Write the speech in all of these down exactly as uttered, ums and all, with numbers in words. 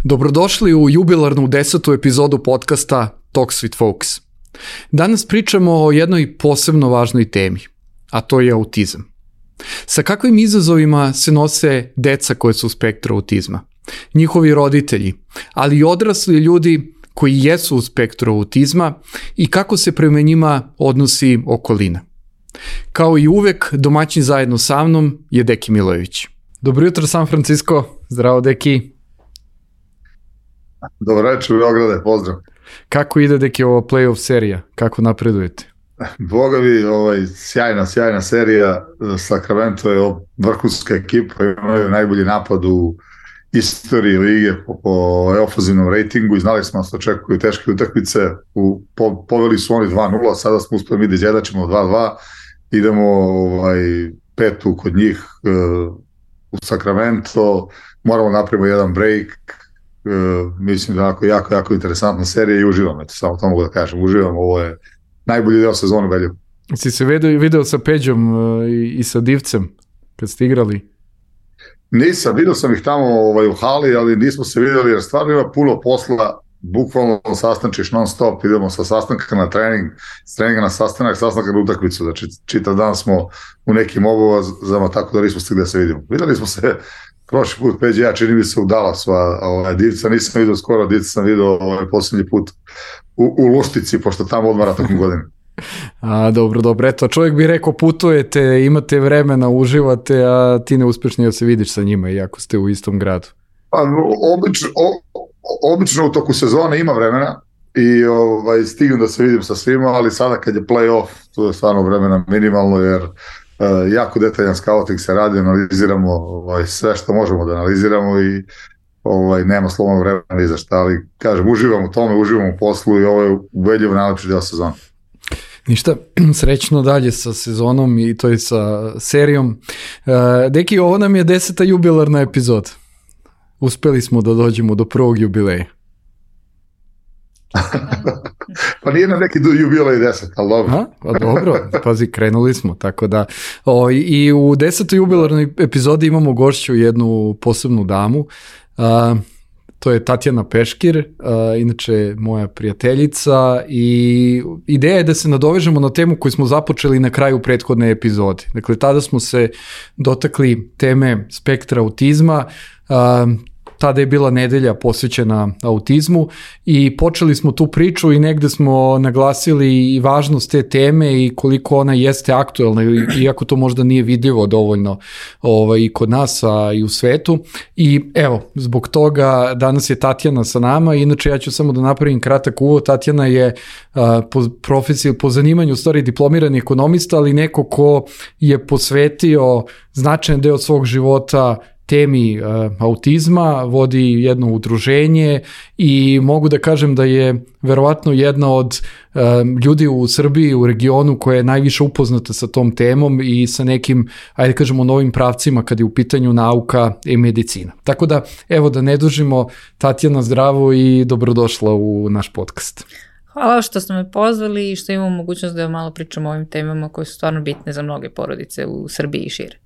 Dobrodošli u jubilarnu desetu epizodu podcasta Talks with Folks. Danas pričamo o jednoj posebno važnoj temi, a to je autizam. Sa kakvim izazovima se nose deca koje su u spektru autizma, njihovi roditelji, ali i odrasli ljudi koji jesu u spektru autizma i kako se prema njima odnosi okolina. Kao i uvek, domaćin zajedno sa mnom je Deki Milojević. Dobro jutro, San Francisco. Zdravo, Deki. Dobro večer, Beograde, pozdrav. Kako ide, Deki, ova playoff serija? Kako napredujete? Boga mi, ovaj, sjajna, sjajna serija. Sacramento je vrhunska ekipa, imaju najbolji napad u istoriji lige po, po ofenzivnom rejtingu i znali smo da se očekuju teške utakmice. U, po, poveli su oni dva nula, sada smo uspeli mi da izjedačimo dva dva. Idemo ovaj, petu kod njih uh, u Sacramento, moramo napravimo jedan break. Uh, mislim da je jako, jako interesantna serija i uživam, eto, samo to mogu da kažem, uživam, ovo je najbolji deo sezonu Velju. Si se video, video sa Peđom uh, i, i sa Divcem kad ste igrali? Nisam, vidio sam ih tamo ovaj, u hali, ali nismo se vidjeli jer stvarno ima puno posla, bukvalno sastančiš non stop, idemo sa sastanka na trening, s treninga na sastanak, sastanka na utakmicu, znači čitav dan smo u nekim obavezama, tako da nismo stigli da se vidimo. Vidjeli smo se prošli put, Peđe, ja čini mi se u Dallasu, a ovaj, Divca nisam vidio skoro, Divca sam vidio ovaj, posljednji put u, u Luštici, pošto tamo odmara tokom godine. A, dobro, dobro, eto, čovjek bi rekao putujete, imate vremena, uživate, a ti ne uspješ ni da se vidiš sa njima, iako ste u istom gradu. Pa, obično, o, obično u toku sezone ima vremena i ovaj, stignem da se vidim sa svima, ali sada kad je play-off, to je stvarno vremena minimalno, jer Uh, jako detaljan scouting se radi, analiziramo ovaj, sve što možemo da analiziramo i ovaj, nema slobodnog vremena ni za šta, ali kažem, uživam u tome, uživam u poslu i ovo je ubedljivo najlepši deo sezona. Ništa, srećno dalje sa sezonom i to je sa serijom. Uh, Deki, ovo nam je deseta jubilarna epizoda. Uspeli smo da dođemo do prvog jubileja. Pa nije na neki jubilej deset, ali dobro. A, pa dobro, pazi, krenuli smo, tako da o, i u desetoj jubilarnoj epizodi imamo gošću jednu posebnu damu, a, to je Tatjana Peškir, a, inače moja prijateljica i ideja je da se nadovežemo na temu koju smo započeli na kraju prethodne epizode. Dakle, tada smo se dotakli teme spektra autizma, a, tada je bila nedelja posvećena autizmu i počeli smo tu priču i negde smo naglasili i važnost te teme i koliko ona jeste aktuelna, iako to možda nije vidljivo dovoljno ovaj, i kod nas, a i u svetu. I evo, zbog toga danas je Tatjana sa nama, inače ja ću samo da napravim kratak uvod. Tatjana je a, po profesiji, po zanimanju u stvari diplomirani ekonomista, ali neko ko je posvetio značajan deo svog života temi uh, autizma, vodi jedno udruženje i mogu da kažem da je verovatno jedna od uh, ljudi u Srbiji, u regionu koja je najviše upoznata sa tom temom i sa nekim, ajde kažemo, novim pravcima kad je u pitanju nauka i medicina. Tako da, evo da ne dužimo, Tatjana, zdravo i dobrodošla u naš podcast. Hvala što ste me pozvali i što imamo mogućnost da malo pričamo o ovim temama koje su stvarno bitne za mnoge porodice u Srbiji i šire.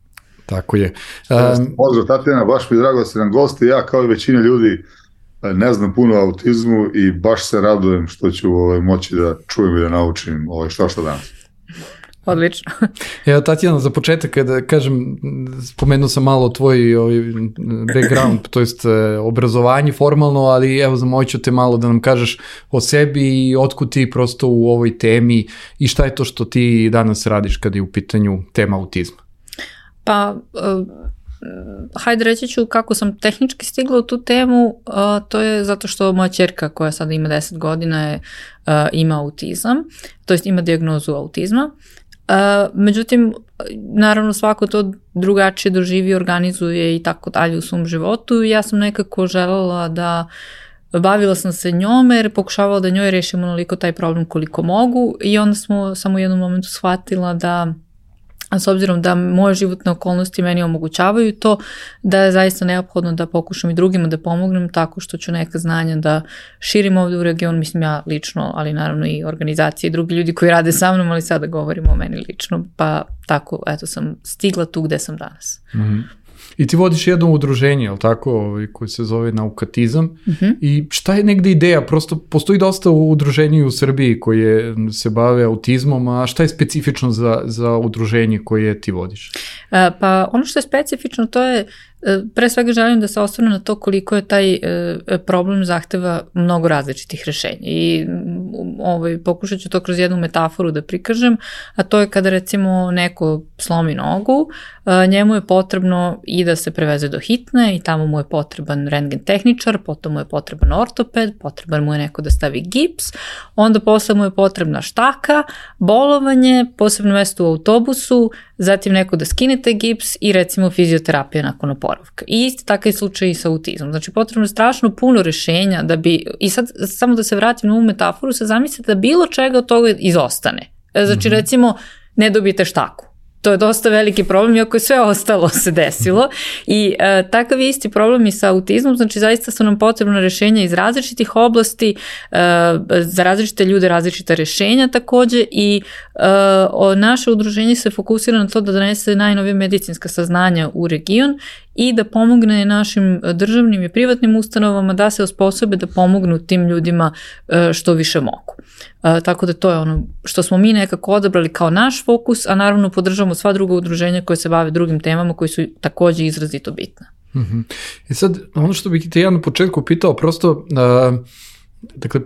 Tako je. Um, Pozdrav, Tatjana, baš mi je drago da ste nam gosti. Ja kao i većina ljudi ne znam puno o autizmu i baš se radujem što ću ovaj, moći da čujem i da naučim ovaj, što što danas. Odlično. Evo, Tatjana, za početak, kada kažem, spomenuo sam malo tvoj ovaj, background, to jest obrazovanje formalno, ali evo, zamoću te malo da nam kažeš o sebi i otkud ti prosto u ovoj temi i šta je to što ti danas radiš kada je u pitanju tema autizma. Pa, uh, hajde reći ću kako sam tehnički stigla u tu temu, uh, to je zato što moja ćerka koja sada ima deset godina je, uh, ima autizam, to jest ima dijagnozu autizma. Uh, međutim, naravno svako to drugačije doživi, organizuje i tako dalje u svom životu. Ja sam nekako želela da bavila sam se njome jer pokušavala da njoj rešimo onoliko taj problem koliko mogu i onda smo samo u jednom momentu shvatila da a s obzirom da moje životne okolnosti meni omogućavaju to, da je zaista neophodno da pokušam i drugima da pomognem tako što ću neka znanja da širim ovdje u region, mislim ja lično, ali naravno i organizacije i drugi ljudi koji rade sa mnom, ali sada govorimo o meni lično, pa tako, eto sam stigla tu gde sam danas. Mm-hmm. I ti vodiš jedno udruženje, je li tako, ovaj, koje se zove Naukatizam. Uh-huh. I šta je negde ideja? Prosto postoji dosta udruženja u Srbiji koje se bave autizmom, a šta je specifično za, za udruženje koje ti vodiš? Uh, pa ono što je specifično, to je pre svega želim da se osvrnem na to koliko je taj e, problem zahteva mnogo različitih rešenja i ovaj, pokušat ću to kroz jednu metaforu da prikažem, a to je kada recimo neko slomi nogu, a, njemu je potrebno i da se preveze do hitne i tamo mu je potreban rentgen tehničar, potom mu je potreban ortoped, potreban mu je neko da stavi gips, onda posle mu je potrebna štaka, bolovanje, posebno mesto u autobusu, zatim neko da skine taj gips i recimo fizioterapija nakon oporavka. I isti takav slučaj i sa autizmom. Znači potrebno je strašno puno rešenja da bi, i sad samo da se vratim na ovu metaforu, se zamislite da bilo čega od toga izostane. Znači mm-hmm. recimo ne dobijete štaku. To je dosta veliki problem, iako je sve ostalo se desilo i e, takav je isti problem i sa autizmom, znači zaista su nam potrebna rešenja iz različitih oblasti, e, za različite ljude različita rešenja takođe i e, o, naše udruženje se fokusira na to da donese najnovije medicinska saznanja u region i da pomogne našim državnim i privatnim ustanovama da se osposobe da pomognu tim ljudima e, što više mogu. E, tako da to je ono što smo mi nekako odabrali kao naš fokus, a naravno podržavamo sva druga udruženja koje se bave drugim temama koji su takođe izrazito bitne. Mm-hmm. I sad, ono što bih te ja na početku pitao, prosto, uh, dakle,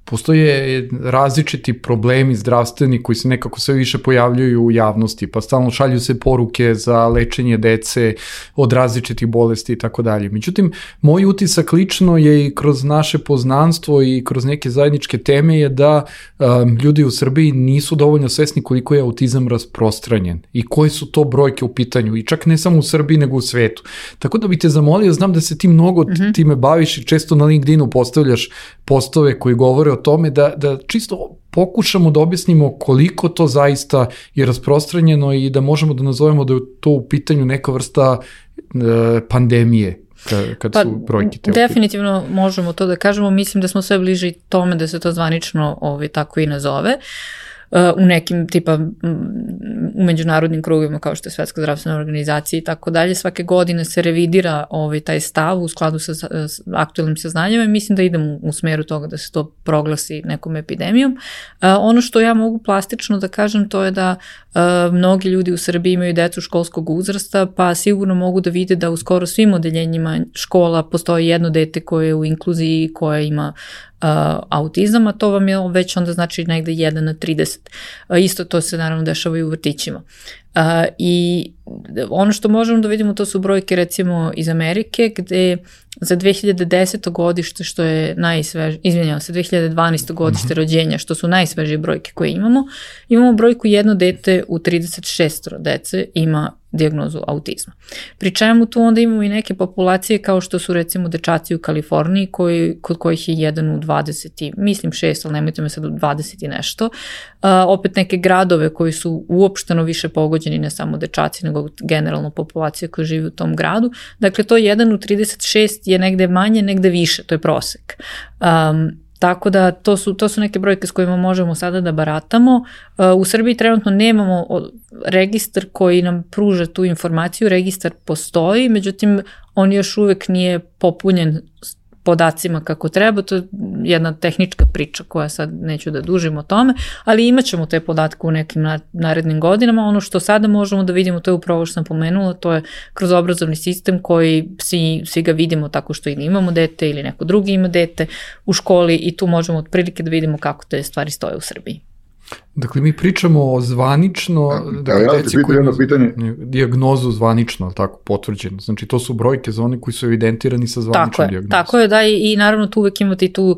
postoje različiti problemi zdravstveni koji se nekako sve više pojavljuju u javnosti, pa stalno šalju se poruke za lečenje dece od različitih bolesti i tako dalje. Međutim, moj utisak lično je i kroz naše poznanstvo i kroz neke zajedničke teme je da um, ljudi u Srbiji nisu dovoljno svesni koliko je autizam rasprostranjen i koje su to brojke u pitanju i čak ne samo u Srbiji nego u svetu. Tako da bih te zamolio, znam da se ti mnogo mm-hmm. time baviš i često na LinkedInu postavljaš postove koji govore o tome da, da čisto pokušamo da objasnimo koliko to zaista je rasprostranjeno i da možemo da nazovemo da je to u pitanju neka vrsta e, pandemije kad, kad pa, su brojke te. Definitivno možemo to da kažemo, mislim da smo sve bliži tome da se to zvanično ovaj, tako i nazove. U nekim tipa u međunarodnim krugovima kao što je Svetska zdravstvena organizacija i tako dalje, svake godine se revidira ovaj, taj stav u skladu sa, sa aktualnim saznanjima i mislim da idemo u smeru toga da se to proglasi nekom epidemijom. Uh, ono što ja mogu plastično da kažem to je da uh, mnogi ljudi u Srbiji imaju decu školskog uzrasta, pa sigurno mogu da vide da u skoro svim odeljenjima škola postoji jedno dete koje je u inkluziji, koje ima Uh, autizam, a to vam je već onda znači negde jedan na trideset. Uh, isto to se naravno dešava i u vrtićima. Uh, I ono što možemo da vidimo to su brojke recimo iz Amerike gde za dve hiljade desete. godište što je najsvežije, izvinjavam se, dve hiljade dvanaeste. godište rođenja što su najsvežije brojke koje imamo, imamo brojku jedno dete u trideset šest dece ima dijagnozu autizma. Pri čemu tu onda imamo i neke populacije kao što su recimo dečaci u Kaliforniji koji, kod kojih je jedan u dvadeset, mislim šest, ali nemojte me sad u dvadeset i nešto. Uh, opet neke gradove koji su uopšteno više pogođeni, ne samo dečaci, nego generalno populacija koja živi u tom gradu. Dakle, to jedan u trideset šest je negde manje, negde više, to je prosek. Um, Tako da to su, to su neke brojke s kojima možemo sada da baratamo. U Srbiji trenutno nemamo registar koji nam pruža tu informaciju, registar postoji, međutim on još uvek nije popunjen podacima kako treba, to je jedna tehnička priča koja sad neću da dužim o tome, ali imat ćemo te podatke u nekim narednim godinama. Ono što sada možemo da vidimo, to je upravo što sam pomenula, to je kroz obrazovni sistem koji svi, svi ga vidimo tako što ili imamo dete ili neko drugi ima dete u školi i tu možemo otprilike da vidimo kako te stvari stoje u Srbiji. Dakle, mi pričamo o zvanično, dakle, ja, deci koji imaju dijagnozu zvanično, tako, potvrđeno. Znači, to su brojke za one koji su evidentirani sa zvaničnom dijagnozom. Tako je, da, i, i naravno tu uvek imate i tu,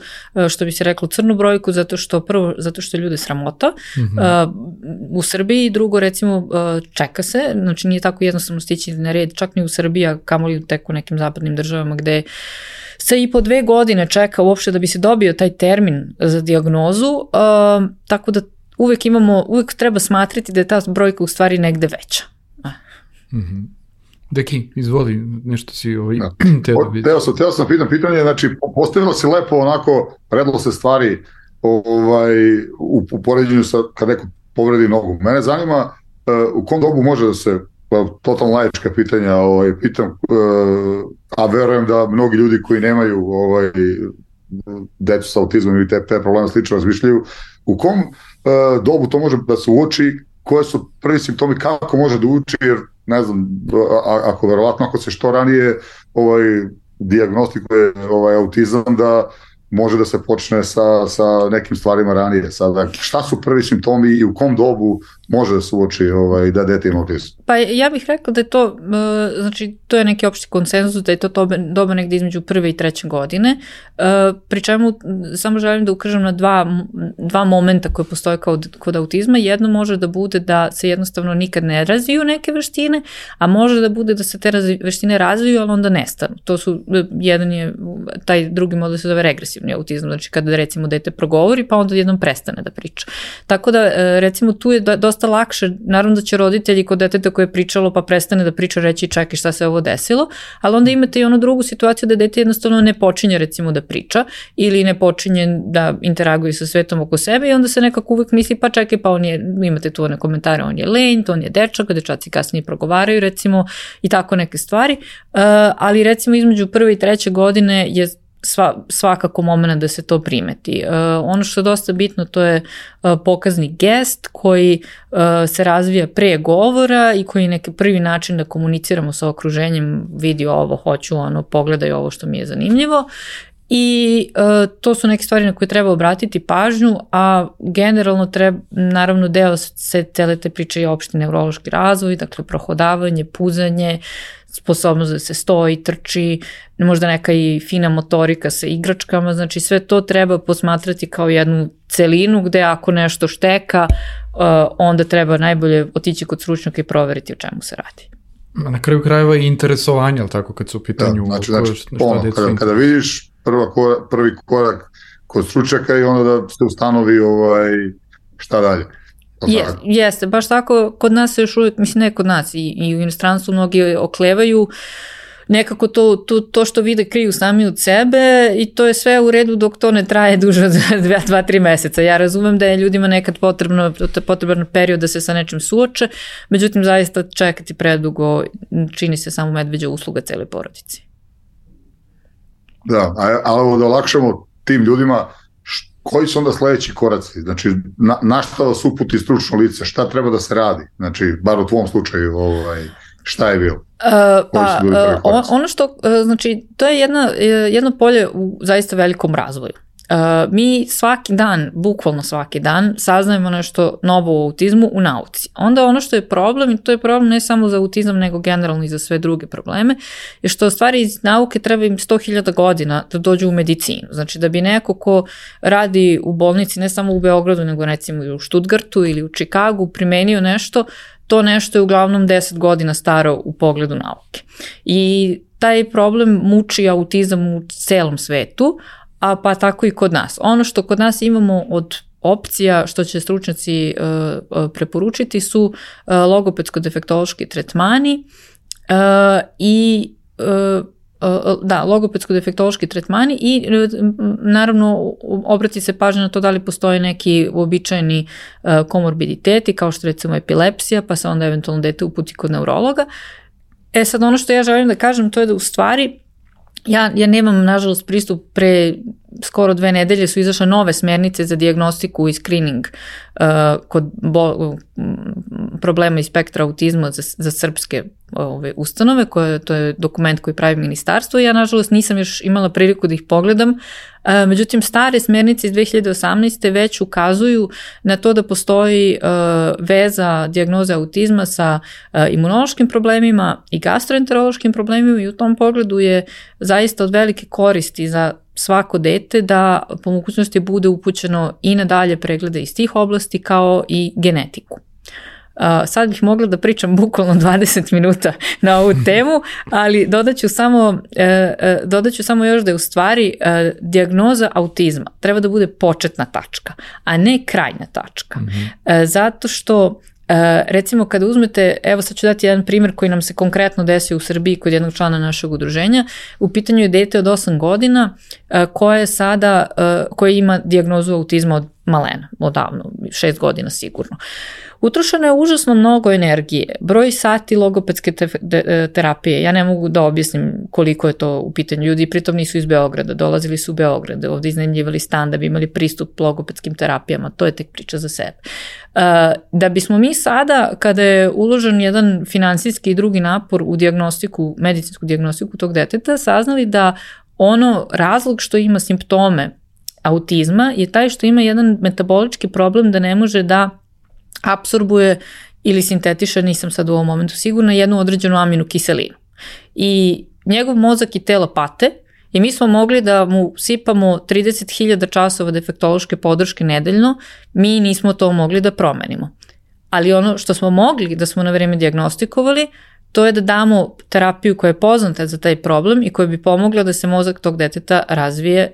što bi se reklo, crnu brojku, zato što prvo, zato što je ljude sramota mm-hmm. uh, u Srbiji, drugo, recimo, uh, čeka se, znači nije tako jednostavno stići na red, čak ni u Srbiji, a kamoli tek u nekim zapadnim državama gde se i po dve godine čeka uopšte da bi se dobio taj termin za dijagnozu, uh, tako da uvek imamo, uvek treba smatrati da je ta brojka u stvari negde veća. Mm-hmm. Deki, izvoli, nešto si ovaj, ja. teo da vidim. Teo sam, teo sam pitan pitanje, znači postavilo se lepo onako, predlo se stvari ovaj, u, u poređenju sa kad neko povredi nogu. Mene zanima uh, u kom dobu može da se totalno laička pitanja, ovaj, pitam, a verujem da mnogi ljudi koji nemaju ovaj, decu sa autizmom ili te, te probleme slično razmišljaju, u kom uh, dobu to može da se uoči, koje su prvi simptomi, kako može da uči, jer ne znam, a, ako verovatno ako se što ranije ovaj, dijagnostikuje ovaj, autizam, da može da se počne sa, sa nekim stvarima ranije. Sada, šta su prvi simptomi i u kom dobu može da se uoči ovaj, da dete ima autizam? Pa ja bih rekla da je to, znači to je neki opšti konsenzus, da je to doba negde između prve i treće godine, pri čemu samo želim da ukažem na dva, dva momenta koje postoje kao kod autizma. Jedno može da bude da se jednostavno nikad ne razviju neke veštine, a može da bude da se te veštine razviju, ali onda nestanu. To su, jedan je, taj drugi model se zove regresivni autizam, znači kada recimo dete progovori pa onda jednom prestane da priča. Tako da recimo tu je dosta lakše, naravno da će roditelji kod deteta koje je pričalo pa prestane da priča reći čekaj šta se ovo desilo, ali onda imate i onu drugu situaciju da dete jednostavno ne počinje recimo da priča ili ne počinje da interaguje sa svetom oko sebe i onda se nekako uvek misli pa čekaj pa on je, imate tu one komentare, on je lenj, on je dečak, dečaci kasnije progovaraju recimo i tako neke stvari, uh, ali recimo između prve i treće godine je Sva, svakako moment da se to primeti. Uh, ono što je dosta bitno to je uh, pokazni gest koji uh, se razvija pre govora i koji je neki prvi način da komuniciramo sa okruženjem, vidi ovo, hoću ono, pogledaj ovo što mi je zanimljivo. I uh, to su neke stvari na koje treba obratiti pažnju, a generalno treba, naravno deo se cele te priče je opšti neurološki razvoj, dakle prohodavanje, puzanje, sposobnost da se stoji, trči, možda neka i fina motorika sa igračkama, znači sve to treba posmatrati kao jednu celinu gde ako nešto šteka, uh, onda treba najbolje otići kod stručnjaka i proveriti o čemu se radi. Na kraju krajeva i interesovanje, ali tako kad su u pitanju... Da, znači, znači ono, kada, kada vidiš prva korak, prvi korak kod stručnjaka i onda da se ustanovi ovaj, šta dalje. Je, jeste, baš tako, kod nas se još uvijek, mislim ne kod nas, i, i u inostranstvu mnogi oklevaju, nekako to, to, to što vide kriju sami od sebe i to je sve u redu dok to ne traje duže od dva, tri meseca. Ja razumem da je ljudima nekad potrebno, potreban period da se sa nečim suoče, međutim zaista čekati predugo čini se samo medveđa usluga cele porodici. Da, ali da olakšamo tim ljudima, koji su onda sledeći koraci? Znači, na, na šta vas uputi stručno lice? Šta treba da se radi? Znači, bar u tvom slučaju, ovaj, šta je bilo? Uh, pa, uh, ono što, uh, znači, to je jedna, jedno polje u zaista velikom razvoju. Uh, mi svaki dan, bukvalno svaki dan, saznajemo nešto novo o autizmu u nauci. Onda ono što je problem, i to je problem ne samo za autizam, nego generalno i za sve druge probleme, je što stvari iz nauke treba im sto hiljada godina da dođu u medicinu. Znači da bi neko ko radi u bolnici, ne samo u Beogradu, nego recimo i u Stuttgartu ili u Čikagu, primenio nešto, to nešto je uglavnom deset godina staro u pogledu nauke. I taj problem muči autizam u celom svetu, a pa tako i kod nas. Ono što kod nas imamo od opcija što će stručnjaci uh, preporučiti su uh, logopedsko-defektološki tretmani uh, i uh, uh, da, logopedsko-defektološki tretmani i naravno obrati se pažnja na to da li postoje neki uobičajeni uh, komorbiditeti kao što recimo epilepsija, pa se onda eventualno dete uputi kod neurologa. E sad ono što ja želim da kažem to je da u stvari Ja, ja nemam, nažalost, pristup, pre skoro dve nedelje su izašle nove smernice za dijagnostiku i screening uh, kod bo, problema iz spektra autizma za, za srpske ove, ustanove, koje, to je dokument koji pravi ministarstvo i ja, nažalost, nisam još imala priliku da ih pogledam. Uh, međutim, stare smernice iz dve hiljade osamnaeste već ukazuju na to da postoji uh, veza dijagnoze autizma sa uh, imunološkim problemima i gastroenterološkim problemima i u tom pogledu je zaista od velike koristi za svako dete da po mogućnosti bude upućeno i na dalje preglede iz tih oblasti kao i genetiku. Uh, sad bih mogla da pričam bukvalno dvadeset minuta na ovu temu, ali dodaću samo, uh, uh, dodaću samo još da je u stvari uh, dijagnoza autizma treba da bude početna tačka, a ne krajnja tačka. Mm-hmm. Uh, zato što Uh, recimo kada uzmete, evo sad ću dati jedan primjer koji nam se konkretno desio u Srbiji kod jednog člana našeg udruženja, u pitanju je dete od osam godina uh, koje je sada, uh, koje ima dijagnozu autizma od malena, odavno, šest godina sigurno. utrošeno je užasno mnogo energije, broj sati logopedske te, de, terapije, ja ne mogu da objasnim koliko je to u pitanju, ljudi pritom nisu iz Beograda, dolazili su u Beograd, ovde iznajmljivali stan da bi imali pristup logopedskim terapijama, to je tek priča za sebe. Uh, da bismo mi sada, kada je uložen jedan finansijski i drugi napor u dijagnostiku, medicinsku dijagnostiku tog deteta, saznali da ono razlog što ima simptome autizma je taj što ima jedan metabolički problem da ne može da apsorbuje ili sintetiše, nisam sad u ovom momentu sigurna, jednu određenu aminu kiselinu. I njegov mozak i telo pate i mi smo mogli da mu sipamo trideset hiljada časova defektološke podrške nedeljno, mi nismo to mogli da promenimo. Ali ono što smo mogli da smo na vreme dijagnostikovali, to je da damo terapiju koja je poznata za taj problem i koja bi pomogla da se mozak tog deteta razvije,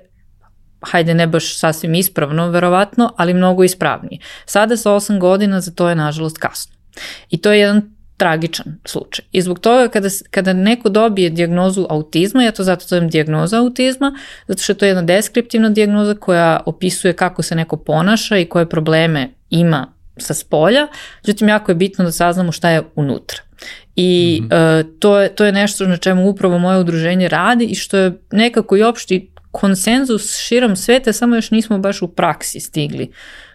hajde ne baš sasvim ispravno, verovatno, ali mnogo ispravnije. Sada sa osam godina za to je nažalost kasno. I to je jedan tragičan slučaj. I zbog toga kada, kada neko dobije dijagnozu autizma, ja to zato zovem dijagnoza autizma, zato što je to jedna deskriptivna dijagnoza koja opisuje kako se neko ponaša i koje probleme ima sa spolja, međutim jako je bitno da saznamo šta je unutra. I mm-hmm. uh, to, je, to je nešto na čemu upravo moje udruženje radi i što je nekako i opšti konsenzus širom sveta, samo još nismo baš u praksi stigli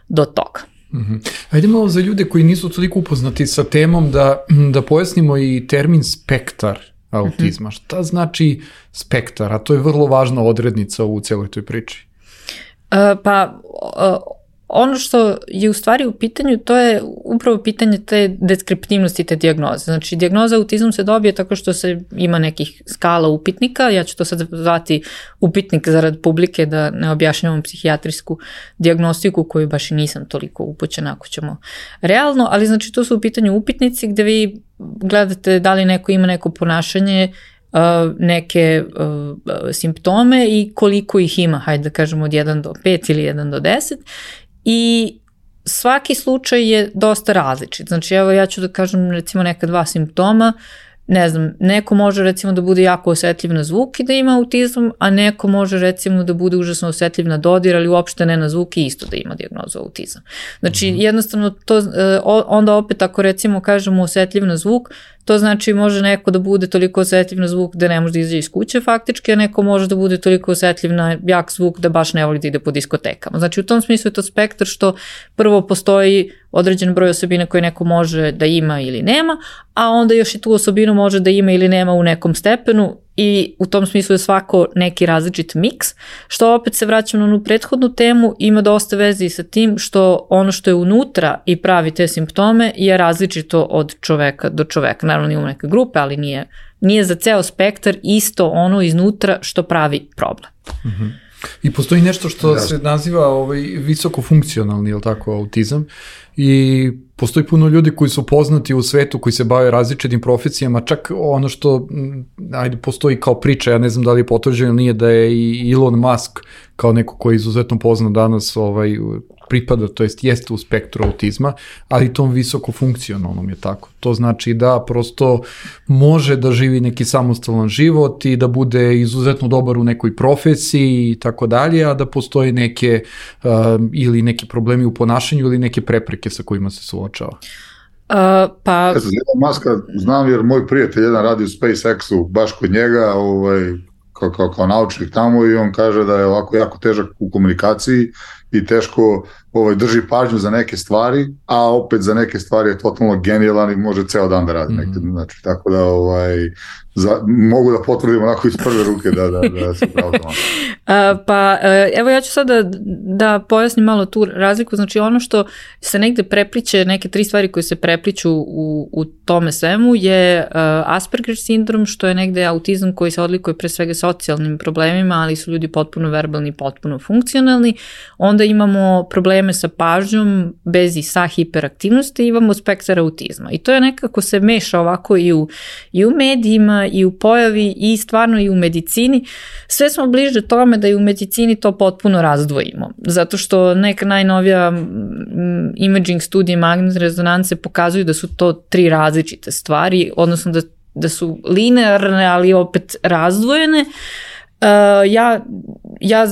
do toga. Mm-hmm. Ajde malo za ljude koji nisu toliko upoznati sa temom da, da pojasnimo i termin spektar autizma. Mm-hmm. Šta znači spektar? A to je vrlo važna odrednica u cijeloj toj priči. Uh, pa... Uh, Ono što je u stvari u pitanju, to je upravo pitanje te deskriptivnosti te dijagnoze. Znači, dijagnoza autizam se dobije tako što se ima nekih skala upitnika, ja ću to sad zvati upitnik zarad publike da ne objašnjavam psihijatrijsku dijagnostiku koju baš i nisam toliko upućena ako ćemo realno, ali znači to su u pitanju upitnici gde vi gledate da li neko ima neko ponašanje, neke uh, simptome i koliko ih ima, hajde da kažemo od jedan do pet ili jedan do deset. I svaki slučaj je dosta različit. Znači, evo ja ću da kažem recimo neka dva simptoma, ne znam, neko može recimo da bude jako osetljiv na zvuk i da ima autizam, a neko može recimo da bude užasno osetljiv na dodir, ali uopšte ne na zvuk i isto da ima dijagnozu autizam. Znači, mm-hmm. jednostavno to, onda opet ako recimo kažemo osetljiv na zvuk, to znači može neko da bude toliko osetljiv na zvuk da ne može da izađe iz kuće faktički, a neko može da bude toliko osetljiv na jak zvuk da baš ne voli da ide po diskotekama. Znači u tom smislu je to spektar što prvo postoji određen broj osobina koje neko može da ima ili nema, a onda još i tu osobinu može da ima ili nema u nekom stepenu i u tom smislu je svako neki različit miks, što opet se vraćam na onu prethodnu temu, ima dosta veze i sa tim što ono što je unutra i pravi te simptome je različito od čoveka do čoveka. Naravno imamo neke grupe, ali nije, nije za ceo spektar isto ono iznutra što pravi problem. Mm-hmm. I postoji nešto što da. se naziva ovaj, visokofunkcionalni, je li tako, autizam, i postoji puno ljudi koji su poznati u svetu, koji se bave različitim profesijama, čak ono što, ajde, postoji kao priča, ja ne znam da li je potvrđeno ili nije, da je i Elon Musk kao neko koji je izuzetno poznat danas ovaj, pripada, to jest jeste u spektru autizma, ali tom visoko funkcionalnom je tako. To znači da prosto može da živi neki samostalan život i da bude izuzetno dobar u nekoj profesiji i tako dalje, a da postoje neke uh, ili neki problemi u ponašanju ili neke prepreke sa kojima se suočava. Uh, pa... Ja sam Elon Muska znam jer moj prijatelj jedan radi u SpaceX-u baš kod njega, ovaj, kao, kao, kao naučnik tamo i on kaže da je ovako jako težak u komunikaciji i teško ovaj, drži pažnju za neke stvari, a opet za neke stvari je totalno genijalan i može ceo dan da radi. Mm-hmm. Znači, tako da ovaj, za, mogu da potvrdim onako iz prve ruke da, da, da se pravo tamo. Pa evo ja ću sada da, da pojasnim malo tu razliku. Znači ono što se negde prepliče, neke tri stvari koje se prepliču u, u tome svemu je uh, Asperger sindrom, što je negde autizam koji se odlikuje pre svega socijalnim problemima, ali su ljudi potpuno verbalni, potpuno funkcionalni. Onda imamo probleme sa pažnjom bez i sa hiperaktivnosti, imamo spektar autizma. I to je nekako se meša ovako i u, i u medijima, i u pojavi, i stvarno i u medicini. Sve smo bliže tome da i u medicini to potpuno razdvojimo. Zato što neka najnovija imaging studije magnetne rezonance pokazuju da su to tri različite stvari, odnosno da, da su linearne, ali opet razdvojene. ja, ja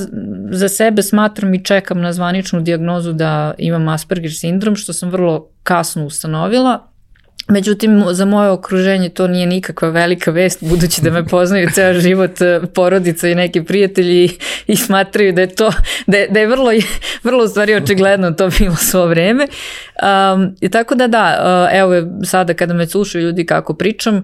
za sebe smatram i čekam na zvaničnu dijagnozu da imam Asperger sindrom, što sam vrlo kasno ustanovila. Međutim, za moje okruženje to nije nikakva velika vest, budući da me poznaju ceo život, porodica i neki prijatelji i smatraju da je to, da je, da je vrlo, vrlo u stvari očigledno to bilo svo vreme. Um, i tako da da, evo sada kada me slušaju ljudi kako pričam,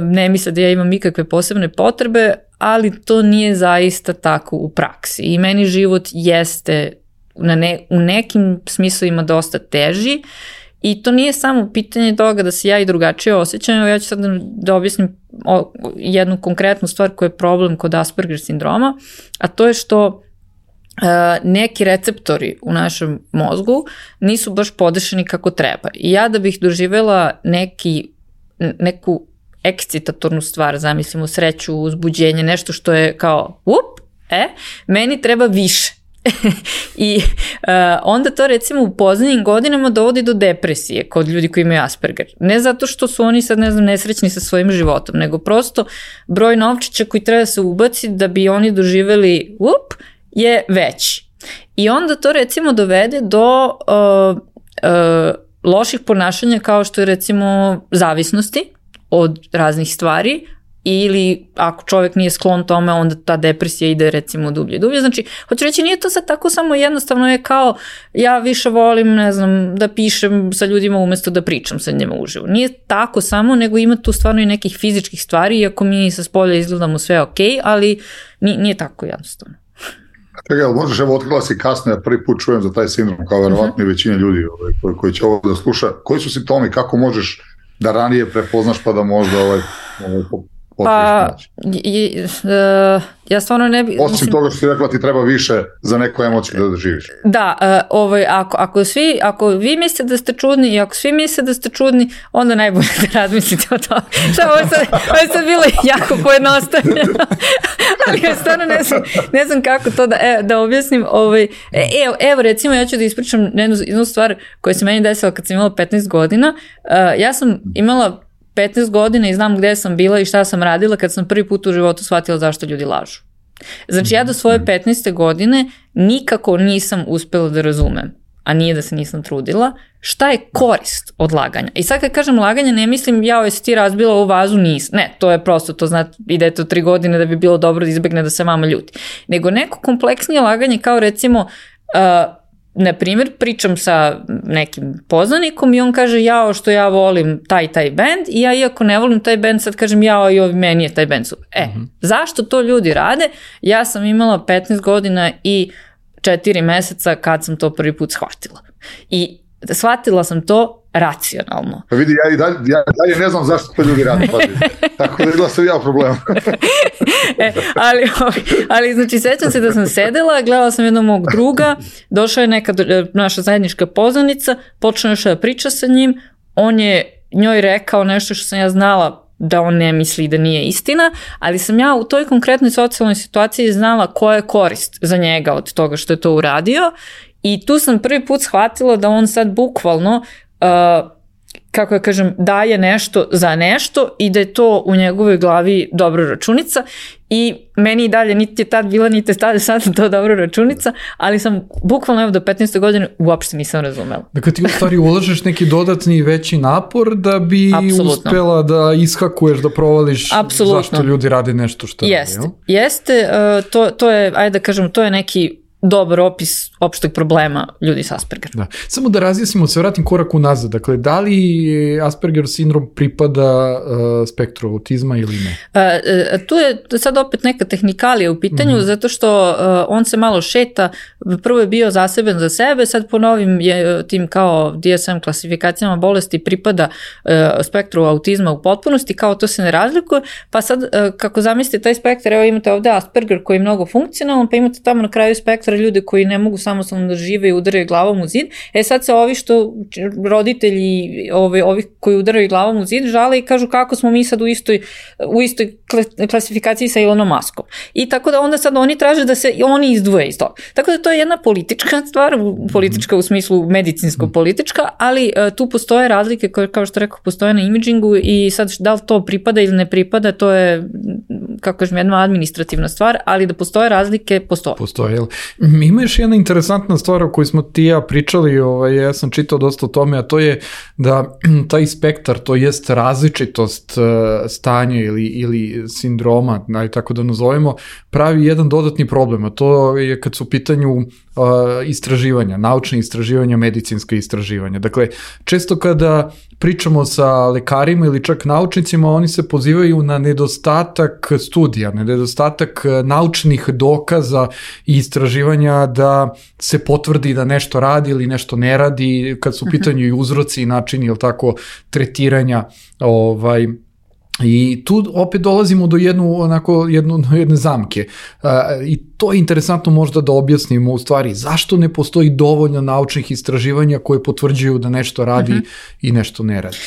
ne misle da ja imam nikakve posebne potrebe, ali to nije zaista tako u praksi. I meni život jeste na ne, u nekim smislovima dosta teži. I to nije samo pitanje toga da se ja i drugačije osjećam, ja ću sad da objasnim jednu konkretnu stvar koja je problem kod Asperger sindroma, a to je što neki receptori u našem mozgu nisu baš podešeni kako treba. I ja da bih doživela neki, neku ekscitatornu stvar, zamislimo sreću, uzbuđenje, nešto što je kao up, e, meni treba više. I uh, onda to recimo u poznijim godinama dovodi do depresije kod ljudi koji imaju Asperger. Ne zato što su oni sad ne znam nesrećni sa svojim životom, nego prosto broj novčića koji treba se ubaci da bi oni doživeli up je veći. I onda to recimo dovede do uh, uh, loših ponašanja kao što je recimo zavisnosti od raznih stvari, ili ako čovjek nije sklon tome, onda ta depresija ide recimo dublje, dublje. Znači, hoću reći, nije to sad tako samo jednostavno je kao ja više volim, ne znam, da pišem sa ljudima umjesto da pričam sa njima uživo. Nije tako samo, nego ima tu stvarno i nekih fizičkih stvari, iako mi sa spolja izgledamo sve ok, ali nije, nije tako jednostavno. Čekaj, ali možeš, evo, otkrila si kasno, ja prvi put čujem za taj sindrom, kao verovatno i većina ljudi ovaj, koji, koji će ovo da sluša. Koji su simptomi, kako možeš da ranije prepoznaš pa da možda ovaj, ovaj Pa, je, uh, ja stvarno ne bi... Osim mislim, toga što si rekla ti treba više za neku emociju da doživiš. Da, uh, ovaj, ako, ako, svi, ako vi mislite da ste čudni i ako svi misle da ste čudni, onda najbolje da razmislite o tome. Šta, ovo je sad, ovo je sad bilo jako pojednostavljeno. Ali ja stvarno ne znam, ne znam kako to da, e, da objasnim. Ovaj, evo, evo, recimo, ja ću da ispričam jednu, jednu stvar koja se meni desila kad sam imala petnaest godina. Uh, ja sam imala petnaest godina i znam gde sam bila i šta sam radila kad sam prvi put u životu shvatila zašto ljudi lažu. Znači ja do svoje petnaeste godine nikako nisam uspela da razumem, a nije da se nisam trudila, šta je korist od laganja. I sad kad kažem laganje, ne mislim ja jesi ti razbila ovu vazu, nisam. Ne, to je prosto, to znate, ide to tri godine da bi bilo dobro da izbegne da se mama ljuti. Nego neko kompleksnije laganje kao recimo... Uh, na primjer, pričam sa nekim poznanikom i on kaže jao što ja volim taj taj band i ja iako ne volim taj band sad kažem jao i ovi meni je taj band super. E, uh-huh. Zašto to ljudi rade? Ja sam imala petnaest godina i četiri meseca kad sam to prvi put shvatila. I shvatila sam to racionalno. Pa vidi, ja i dalje, ja dalje ne znam zašto to ljudi rade. Tako da je sam ja problem. e, ali, ali znači sećam se da sam sedela, gledala sam jednog mog druga, došla je neka naša zajednička poznanica, počela još da priča sa njim, on je njoj rekao nešto što sam ja znala da on ne misli da nije istina, ali sam ja u toj konkretnoj socijalnoj situaciji znala koja je korist za njega od toga što je to uradio i tu sam prvi put shvatila da on sad bukvalno Uh, kako ja kažem, daje nešto za nešto i da je to u njegovoj glavi dobra računica i meni i dalje niti je tad bila, niti je sad to dobra računica, ali sam bukvalno evo do petnaeste godine uopšte nisam razumela. Dakle ti u stvari ulažeš neki dodatni veći napor da bi Apsolutno. Uspela da ishakuješ, da provališ Apsolutno. Zašto ljudi rade nešto što Jest, rade. Jeste, uh, to, to je, ajde da kažem, to je neki dobar opis opšteg problema ljudi s Aspergerom. Da. Samo da razjasnimo, se vratim korak unazad. Dakle, da li Asperger sindrom pripada uh, spektru autizma ili ne? Uh, tu je sad opet neka tehnikalija u pitanju, mm-hmm. zato što uh, on se malo šeta. Prvo je bio zaseban za sebe, sad po novim je tim kao D S M klasifikacijama bolesti pripada uh, spektru autizma u potpunosti, kao to se ne razlikuje, pa sad uh, kako zamislite taj spektar, evo imate ovde Asperger koji je mnogo funkcionalan, pa imate tamo na kraju spektra natera ljude koji ne mogu samostalno da žive i udaraju glavom u zid. E sad se ovi što roditelji ovi, ovi koji udaraju glavom u zid žale i kažu kako smo mi sad u istoj, u istoj klasifikaciji sa Elonom Muskom. I tako da onda sad oni traže da se oni izdvoje iz toga. Tako da to je jedna politička stvar, politička u smislu medicinsko-politička, ali uh, tu postoje razlike koje, kao što rekao, postoje na imidžingu i sad da li to pripada ili ne pripada, to je, kako kažem, jedna administrativna stvar, ali da postoje razlike, postoje. Postoje. Ima još jedna interesantna stvar o kojoj smo ti ja pričali, ovaj, ja sam čitao dosta o tome, a to je da taj spektar, to jest različitost uh, stanja ili, ili sindroma, naj, tako da nazovemo, pravi jedan dodatni problem, a to je kad su u pitanju uh, istraživanja, naučne istraživanja, medicinska istraživanja. Dakle, često kada pričamo sa lekarima ili čak naučnicima, oni se pozivaju na nedostatak studija, na nedostatak naučnih dokaza i istraživanja da se potvrdi da nešto radi ili nešto ne radi, kad su u pitanju i uzroci i načini, ili tako, tretiranja, ovaj, i tu opet dolazimo do jednu, onako, jednu, jedne zamke. Uh, I to je interesantno možda da objasnimo u stvari zašto ne postoji dovoljno naučnih istraživanja koje potvrđuju da nešto radi uh-huh. i nešto ne radi.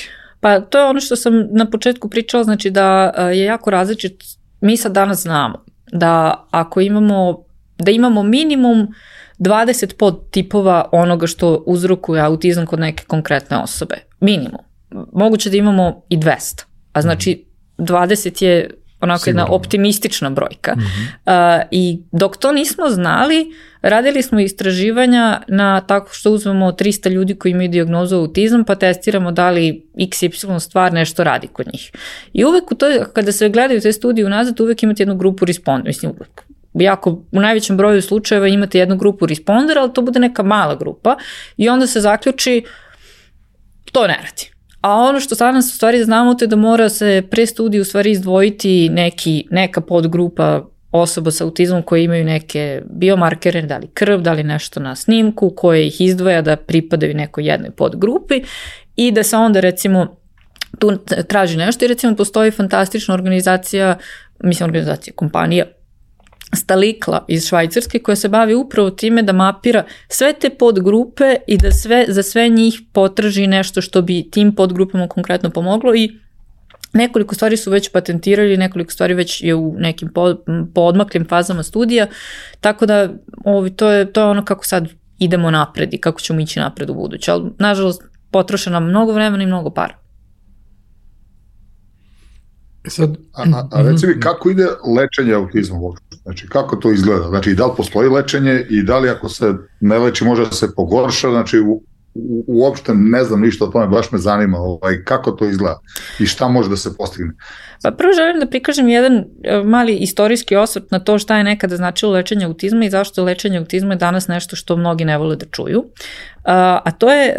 Pa to je ono što sam na početku pričala, znači da je jako različit. Mi sad danas znamo da ako imamo, da imamo minimum dvadeset podtipova onoga što uzrokuje autizam kod neke konkretne osobe. Minimum. Moguće da imamo i dvesta. A znači dvadeset je onako Sigurno. Jedna optimistična brojka. Mm-hmm. Uh, I dok to nismo znali, radili smo istraživanja na tako što uzmemo trista ljudi koji imaju dijagnozu autizam, pa testiramo da li iks ipsilon stvar nešto radi kod njih. I uvek u to, kada se gledaju te studije unazad, uvek imate jednu grupu respondera. Mislim, uvek. Jako, u najvećem broju slučajeva imate jednu grupu respondera, ali to bude neka mala grupa i onda se zaključi to ne radi. A ono što sad nas u stvari znamo to je da mora se pre studiju u stvari izdvojiti neki, neka podgrupa osoba sa autizmom koje imaju neke biomarkere, da li krv, da li nešto na snimku koje ih izdvaja da pripadaju nekoj jednoj podgrupi i da se onda recimo tu traži nešto i recimo postoji fantastična organizacija, mislim organizacija, kompanija Stalikla iz Švajcarske koja se bavi upravo time da mapira sve te podgrupe i da sve, za sve njih potraži nešto što bi tim podgrupama konkretno pomoglo i nekoliko stvari su već patentirali, nekoliko stvari već je u nekim poodmaklim fazama studija, tako da ovi, to, je, to je ono kako sad idemo napred i kako ćemo ići napred u buduće, ali nažalost potroše nam mnogo vremena i mnogo para. Sad, a, a, a reci mi kako ide lečenje autizma uopšte? Znači kako to izgleda? Znači da li postoji lečenje i da li ako se ne leči može da se pogorša? Znači u, u, uopšte ne znam ništa o tome, baš me zanima ovaj, kako to izgleda i šta može da se postigne. Pa prvo želim da prikažem jedan mali istorijski osvrt na to šta je nekada značilo lečenje autizma i zašto lečenje autizma je danas nešto što mnogi ne vole da čuju. A to je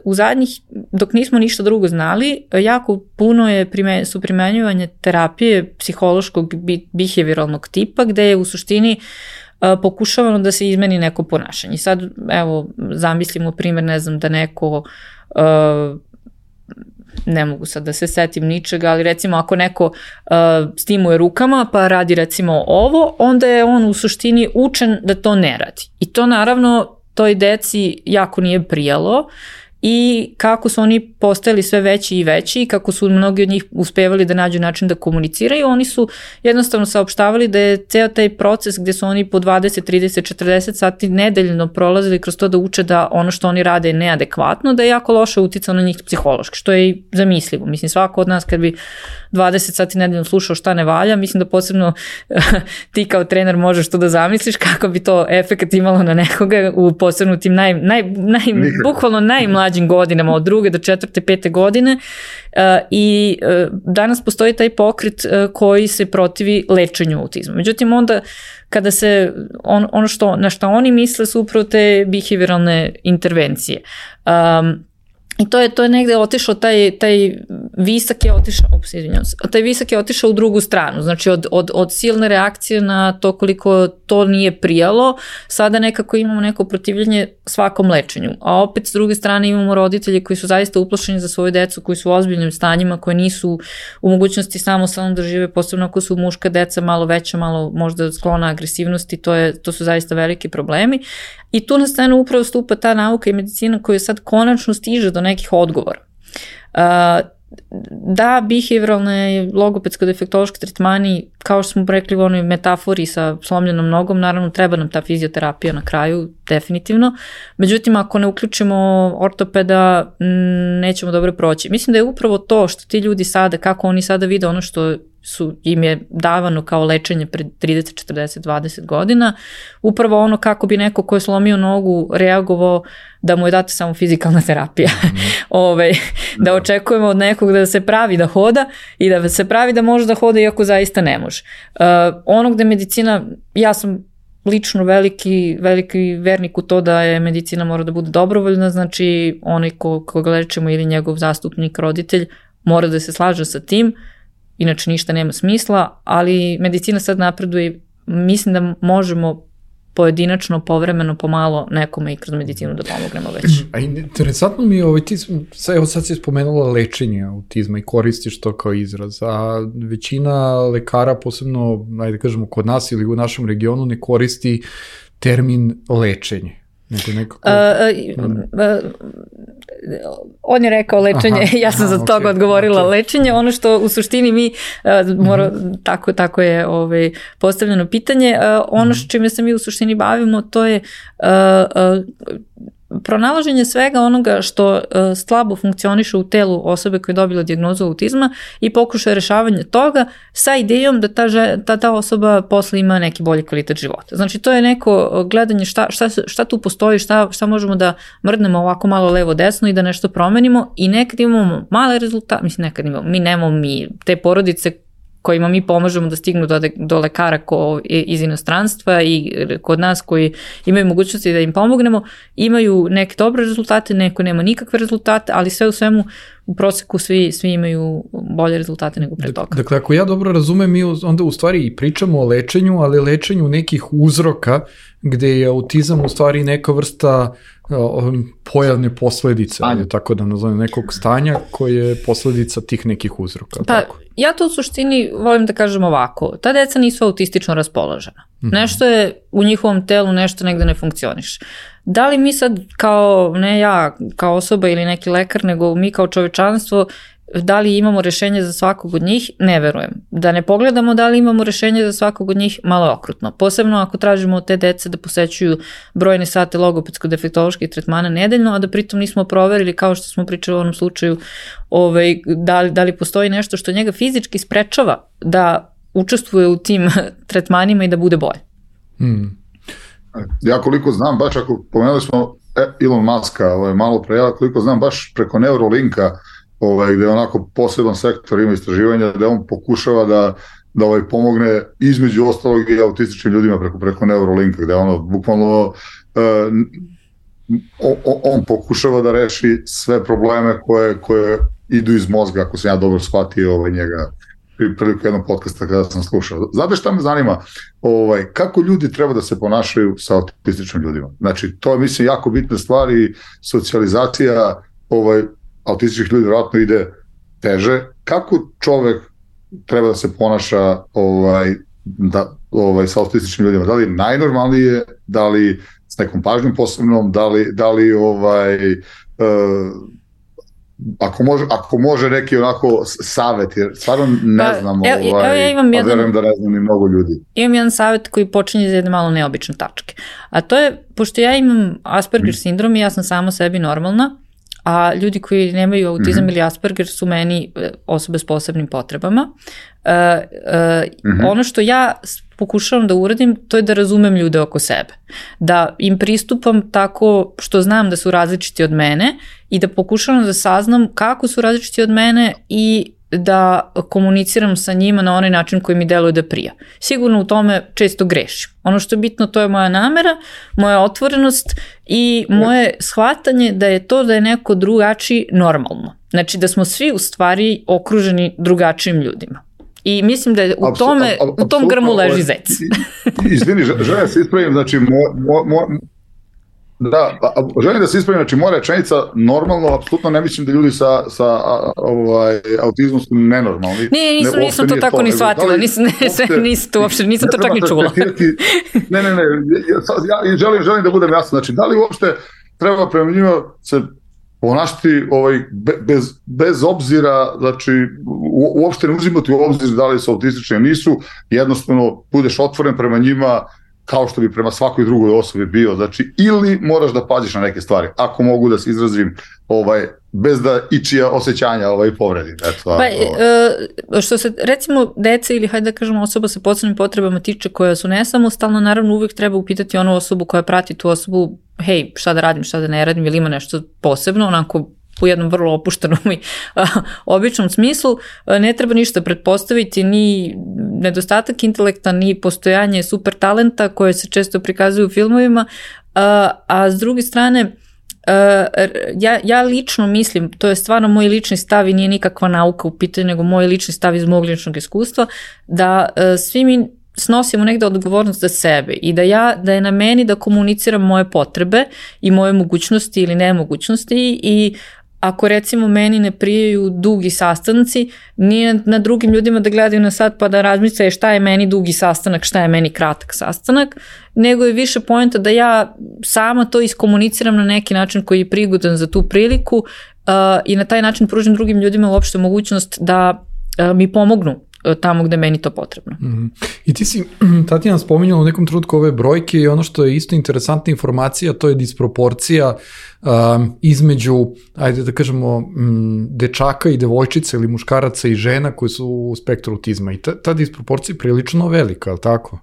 u zadnjih, dok nismo ništa drugo znali, jako puno je prime, su primenjivanje terapije psihološkog behavioralnog tipa gde je u suštini pokušavano da se izmeni neko ponašanje. Sad, evo, zamislimo primjer, ne znam, da neko uh, ne mogu sad da se setim ničega, ali recimo ako neko uh, stimuje rukama pa radi recimo ovo, onda je on u suštini učen da to ne radi. I to naravno toj deci jako nije prijalo i kako su oni postajali sve veći i veći i kako su mnogi od njih uspevali da nađu način da komuniciraju, oni su jednostavno saopštavali da je ceo taj proces gde su oni po dvadeset, trideset, četrdeset sati nedeljno prolazili kroz to da uče da ono što oni rade je neadekvatno, da je jako loše uticao na njih psihološki, što je i zamislivo. Mislim, svako od nas kad bi dvadeset sati nedeljno slušao šta ne valja, mislim da posebno ti kao trener možeš to da zamisliš kako bi to efekat imalo na nekoga u posebno tim naj, naj, naj, bukvalno najmlađim godinama, od druge do četvrte, pete godine uh, i uh, danas postoji taj pokret uh, koji se protivi lečenju autizma. Međutim, onda kada se on, ono što, na što oni misle su upravo te behavioralne intervencije. Um, I to je, to je negde otišao, taj, taj visak je otišao, ups, izvinjam se, taj visak je otišao u drugu stranu, znači od, od, od silne reakcije na to koliko to nije prijalo, sada nekako imamo neko protivljenje svakom lečenju, a opet s druge strane imamo roditelje koji su zaista uplašeni za svoju decu, koji su u ozbiljnim stanjima, koji nisu u mogućnosti samostalno da žive, posebno ako su muška deca malo veća, malo možda sklona agresivnosti, to, je, to su zaista veliki problemi. I tu na scenu upravo stupa ta nauka i medicina koja sad konačno stiže do nekih odgovora. Uh, da, behavioralne logopedsko-defektološki tretmani, kao što smo rekli u onoj metafori sa slomljenom nogom, naravno treba nam ta fizioterapija na kraju, definitivno. Međutim, ako ne uključimo ortopeda, nećemo dobro proći. Mislim da je upravo to što ti ljudi sada, kako oni sada vide ono što su, im je davano kao lečenje pred trideset, četrdeset, dvadeset godina, upravo ono kako bi neko ko je slomio nogu reagovao da mu je data samo fizikalna terapija. Mm. Ove, da očekujemo od nekog da se pravi da hoda i da se pravi da može da hoda iako zaista ne može. Uh, ono gde medicina, ja sam lično veliki, veliki vernik u to da je medicina mora da bude dobrovoljna, znači onaj ko, koga lečimo ili njegov zastupnik, roditelj, mora da se slaže sa tim, inače ništa nema smisla, ali medicina sad napreduje, mislim da možemo pojedinačno, povremeno, pomalo nekome i kroz medicinu da pomognemo već. A interesantno mi je, ovaj, ti, evo sad si spomenula lečenje autizma i koristiš to kao izraz, a većina lekara, posebno, ajde kažemo, kod nas ili u našem regionu, ne koristi termin lečenje. Nego nekako... Uh, uh, uh, on je rekao lečenje, aha, ja sam aha, za toga okay, odgovorila okay. Lečenje, ono što u suštini mi, uh, mora, mm-hmm. tako, tako je ovaj, postavljeno pitanje, uh, ono mm-hmm. čime se mi u suštini bavimo, to je uh, uh, pronalaženje svega onoga što uh, slabo funkcioniše u telu osobe koja je dobila dijagnozu autizma i pokušaj rešavanja toga sa idejom da ta, ta, ta osoba posle ima neki bolji kvalitet života. Znači to je neko gledanje šta, šta, šta tu postoji, šta, šta možemo da mrdnemo ovako malo levo desno i da nešto promenimo i nekad imamo male rezultate, mislim nekad imamo, mi nemamo mi te porodice kojima mi pomažemo da stignu do, do lekara ko, iz inostranstva i kod nas koji imaju mogućnosti da im pomognemo, imaju neke dobre rezultate, neko nema nikakve rezultate, ali sve u svemu u proseku svi, svi imaju bolje rezultate nego pre toga. Dakle, ako ja dobro razumem, mi onda u stvari i pričamo o lečenju, ali lečenju nekih uzroka gde je autizam u stvari neka vrsta pojavne posledice, ali tako da nazovem, nekog stanja koje je posledica tih nekih uzroka. Pa, tako. Ja to u suštini volim da kažem ovako, ta deca nisu autistično raspoložena. Mm-hmm. Nešto je u njihovom telu, nešto negde ne funkcioniše. Da li mi sad kao, ne ja kao osoba ili neki lekar, nego mi kao čovečanstvo, da li imamo rešenje za svakog od njih? Ne verujem. Da ne pogledamo da li imamo rešenje za svakog od njih, malo je okrutno. Posebno ako tražimo od te dece da posećuju brojne sate logopedsko-defektoloških tretmana nedeljno, a da pritom nismo proverili, kao što smo pričali u onom slučaju, ovaj, da, li, da li postoji nešto što njega fizički sprečava da učestvuje u tim tretmanima i da bude bolje. Hmm. Ja koliko znam, baš ako pomenuli smo Elon Muska, ovaj, malo pre, ja koliko znam, baš preko Neuralinka, ovaj, gde je onako poseban sektor ima istraživanja, da on pokušava da, da ovaj, pomogne između ostalog i autističnim ljudima preko, preko Neuralinka, gde ono bukvalno uh, on, on pokušava da reši sve probleme koje, koje idu iz mozga, ako sam ja dobro shvatio ovaj, njega priliku jednog podcasta kada sam slušao. Znate šta me zanima? Ovaj, kako ljudi treba da se ponašaju sa autističnim ljudima? Znači, to je, mislim, jako bitna stvar i socijalizacija ovaj, autističnih ljudi vjerojatno ide teže. Kako čovek treba da se ponaša ovaj, da, ovaj, sa autističnim ljudima? Da li najnormalnije, da li s nekom pažnjom posebnom, da li, da li ovaj, uh, Ako može, ako može neki onako savjet, jer stvarno ne pa, znam, evo, ovaj, evo ja imam a jedan, verujem da ne znam ni mnogo ljudi. Imam jedan savjet koji počinje za jedne malo neobične tačke. A to je, pošto ja imam Asperger sindrom i ja sam sama sebi normalna, a ljudi koji nemaju autizam mm-hmm. ili Asperger su meni osobe s posebnim potrebama. Uh, uh, mm-hmm. Ono što ja pokušavam da uradim, to je da razumem ljude oko sebe. Da im pristupam tako što znam da su različiti od mene i da pokušavam da saznam kako su različiti od mene i da komuniciram sa njima na onaj način koji mi deluje da prija. Sigurno u tome često grešim. Ono što je bitno, to je moja namera, moja otvorenost i moje shvatanje da je to da je neko drugačiji normalno. Znači da smo svi u stvari okruženi drugačijim ljudima. I mislim da je u, tome, u tom grmu leži zec. Izvini, želim da se ispravim, znači mo, mo, mo, da, želim da se ispravim, znači moja rečenica normalno, apsolutno ne mislim da ljudi sa, sa ovaj, autizmom su nenormalni. Nije, nisam, ne, nisam to tako to, ni shvatila, da nisam, ne, nisam, to, uopšte, nisam to čak ni čula. Ne, ne, ne, ja, ja želim, želim da budem jasno, znači da li uopšte treba prema njima se ponašati ovaj, bez, bez obzira, znači u, uopšte ne uzimati u obzir da li su autistični ili nisu, jednostavno budeš otvoren prema njima kao što bi prema svakoj drugoj osobi bio, znači ili moraš da paziš na neke stvari, ako mogu da se izrazim ovaj, bez da ičija osjećanja ovaj, povredi. Eto, pa, ovaj. e, što se recimo dece ili hajde da kažemo osoba sa posebnim potrebama tiče koja su nesamostalna, naravno uvijek treba upitati onu osobu koja prati tu osobu, hej, šta da radim, šta da ne radim, ili ima nešto posebno, onako u jednom vrlo opuštenom i a, običnom smislu, a, ne treba ništa pretpostaviti, ni nedostatak intelekta, ni postojanje super talenta koje se često prikazuju u filmovima, a, a s druge strane, a, ja, ja lično mislim, to je stvarno moj lični stav i nije nikakva nauka u pitanju, nego moj lični stav iz mog ličnog iskustva, da a, svi mi snosimo negde odgovornost za sebe i da ja, da je na meni da komuniciram moje potrebe i moje mogućnosti ili nemogućnosti i ako recimo meni ne prijaju dugi sastanci, nije na drugim ljudima da gledaju na sat pa da razmisle šta je meni dugi sastanak, šta je meni kratak sastanak, nego je više poenta da ja sama to iskomuniciram na neki način koji je prigodan za tu priliku uh, i na taj način pružim drugim ljudima uopšte mogućnost da uh, mi pomognu tamo gde meni to potrebno. Mm-hmm. I ti si, Tatjana, spominjala u nekom trenutku ove brojke i ono što je isto interesantna informacija, to je disproporcija um, između, ajde da kažemo, m, dečaka i devojčica ili muškaraca i žena koji su u spektru autizma. I ta, ta disproporcija je prilično velika, je li tako? Uh,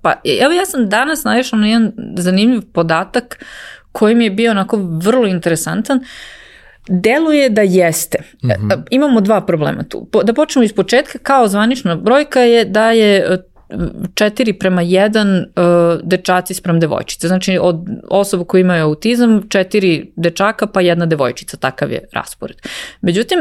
pa evo ja sam danas naišla na jedan zanimljiv podatak koji mi je bio onako vrlo interesantan. Deluje da jeste. Mm-hmm. Imamo dva problema tu. Da počnemo iz početka, kao zvanična brojka je da je četiri prema jedan uh, dečaci sprem devojčice. Znači od osoba koji imaju autizam, četiri dečaka pa jedna devojčica, takav je raspored. Međutim,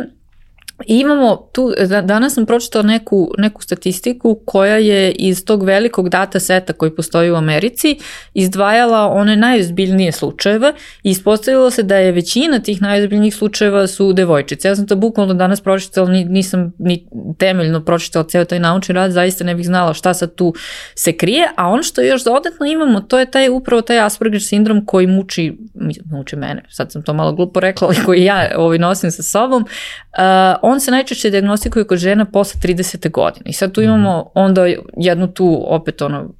imamo tu, danas sam pročitala neku, neku statistiku koja je iz tog velikog data seta koji postoji u Americi izdvajala one najozbiljnije slučajeve i ispostavilo se da je većina tih najozbiljnijih slučajeva su devojčice. Ja sam to bukvalno danas pročitala, nisam ni temeljno pročitala ceo taj naučni rad, zaista ne bih znala šta sad tu se krije, a ono što još dodatno imamo, to je taj, upravo taj Asperger sindrom koji muči, muči mene, sad sam to malo glupo rekla, ali koji ja ovaj, nosim sa sobom. Uh, on se najčešće dijagnostikuje kod žena posle tridesete godine. I sad tu imamo onda jednu tu opet ono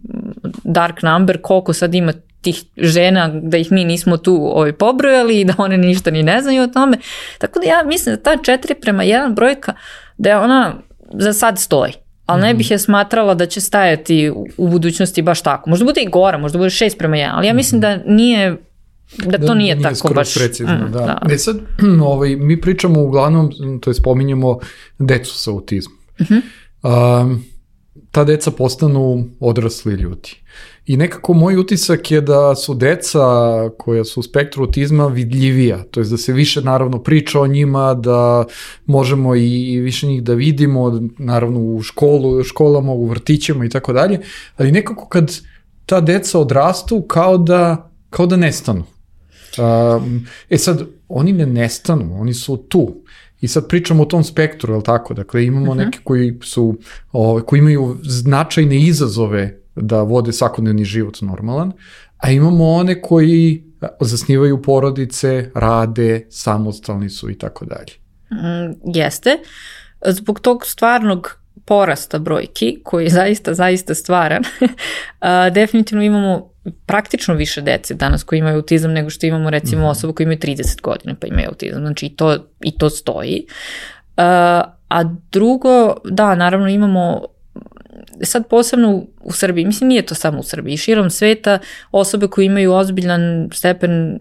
dark number, koliko sad ima tih žena da ih mi nismo tu ovaj, pobrojali i da one ništa ni ne znaju o tome. Tako da ja mislim da ta četiri prema jedan brojka da je ona za sad stoji. Ali ne bih je smatrala da će stajati u, u budućnosti baš tako. Možda bude i gora, možda bude šest prema jedan, ali ja mislim da nije Da to da, nije, nije tako baš precizno, mm, da. da. E sad, ovaj, mi pričamo uglavnom, to je spominjemo decu sa autizmom. Uh-huh. Um, ta deca postanu odrasli ljudi. I nekako moj utisak je da su deca koja su u spektru autizma vidljivija, to je da se više naravno priča o njima, da možemo i više njih da vidimo, naravno u školu, školama, u vrtićima i tako dalje, ali nekako kad ta deca odrastu kao da, kao da nestanu. Um, e sad, oni ne nestanu, oni su tu. I sad pričamo o tom spektru, je li tako? Dakle, imamo uh-huh. neke koji su, o, koji imaju značajne izazove da vode svakodnevni život normalan, a imamo one koji zasnivaju porodice, rade, samostalni su i tako dalje. Mm, jeste. Zbog tog stvarnog porasta brojki, koji je zaista, zaista stvaran, a, definitivno imamo praktično više dece danas koji imaju autizam nego što imamo recimo mm-hmm. osoba koji imaju trideset godina pa imaju autizam, znači i to, i to stoji. Uh, a drugo, da, naravno imamo sad posebno u, u Srbiji, mislim nije to samo u Srbiji, širom sveta osobe koje imaju ozbiljan stepen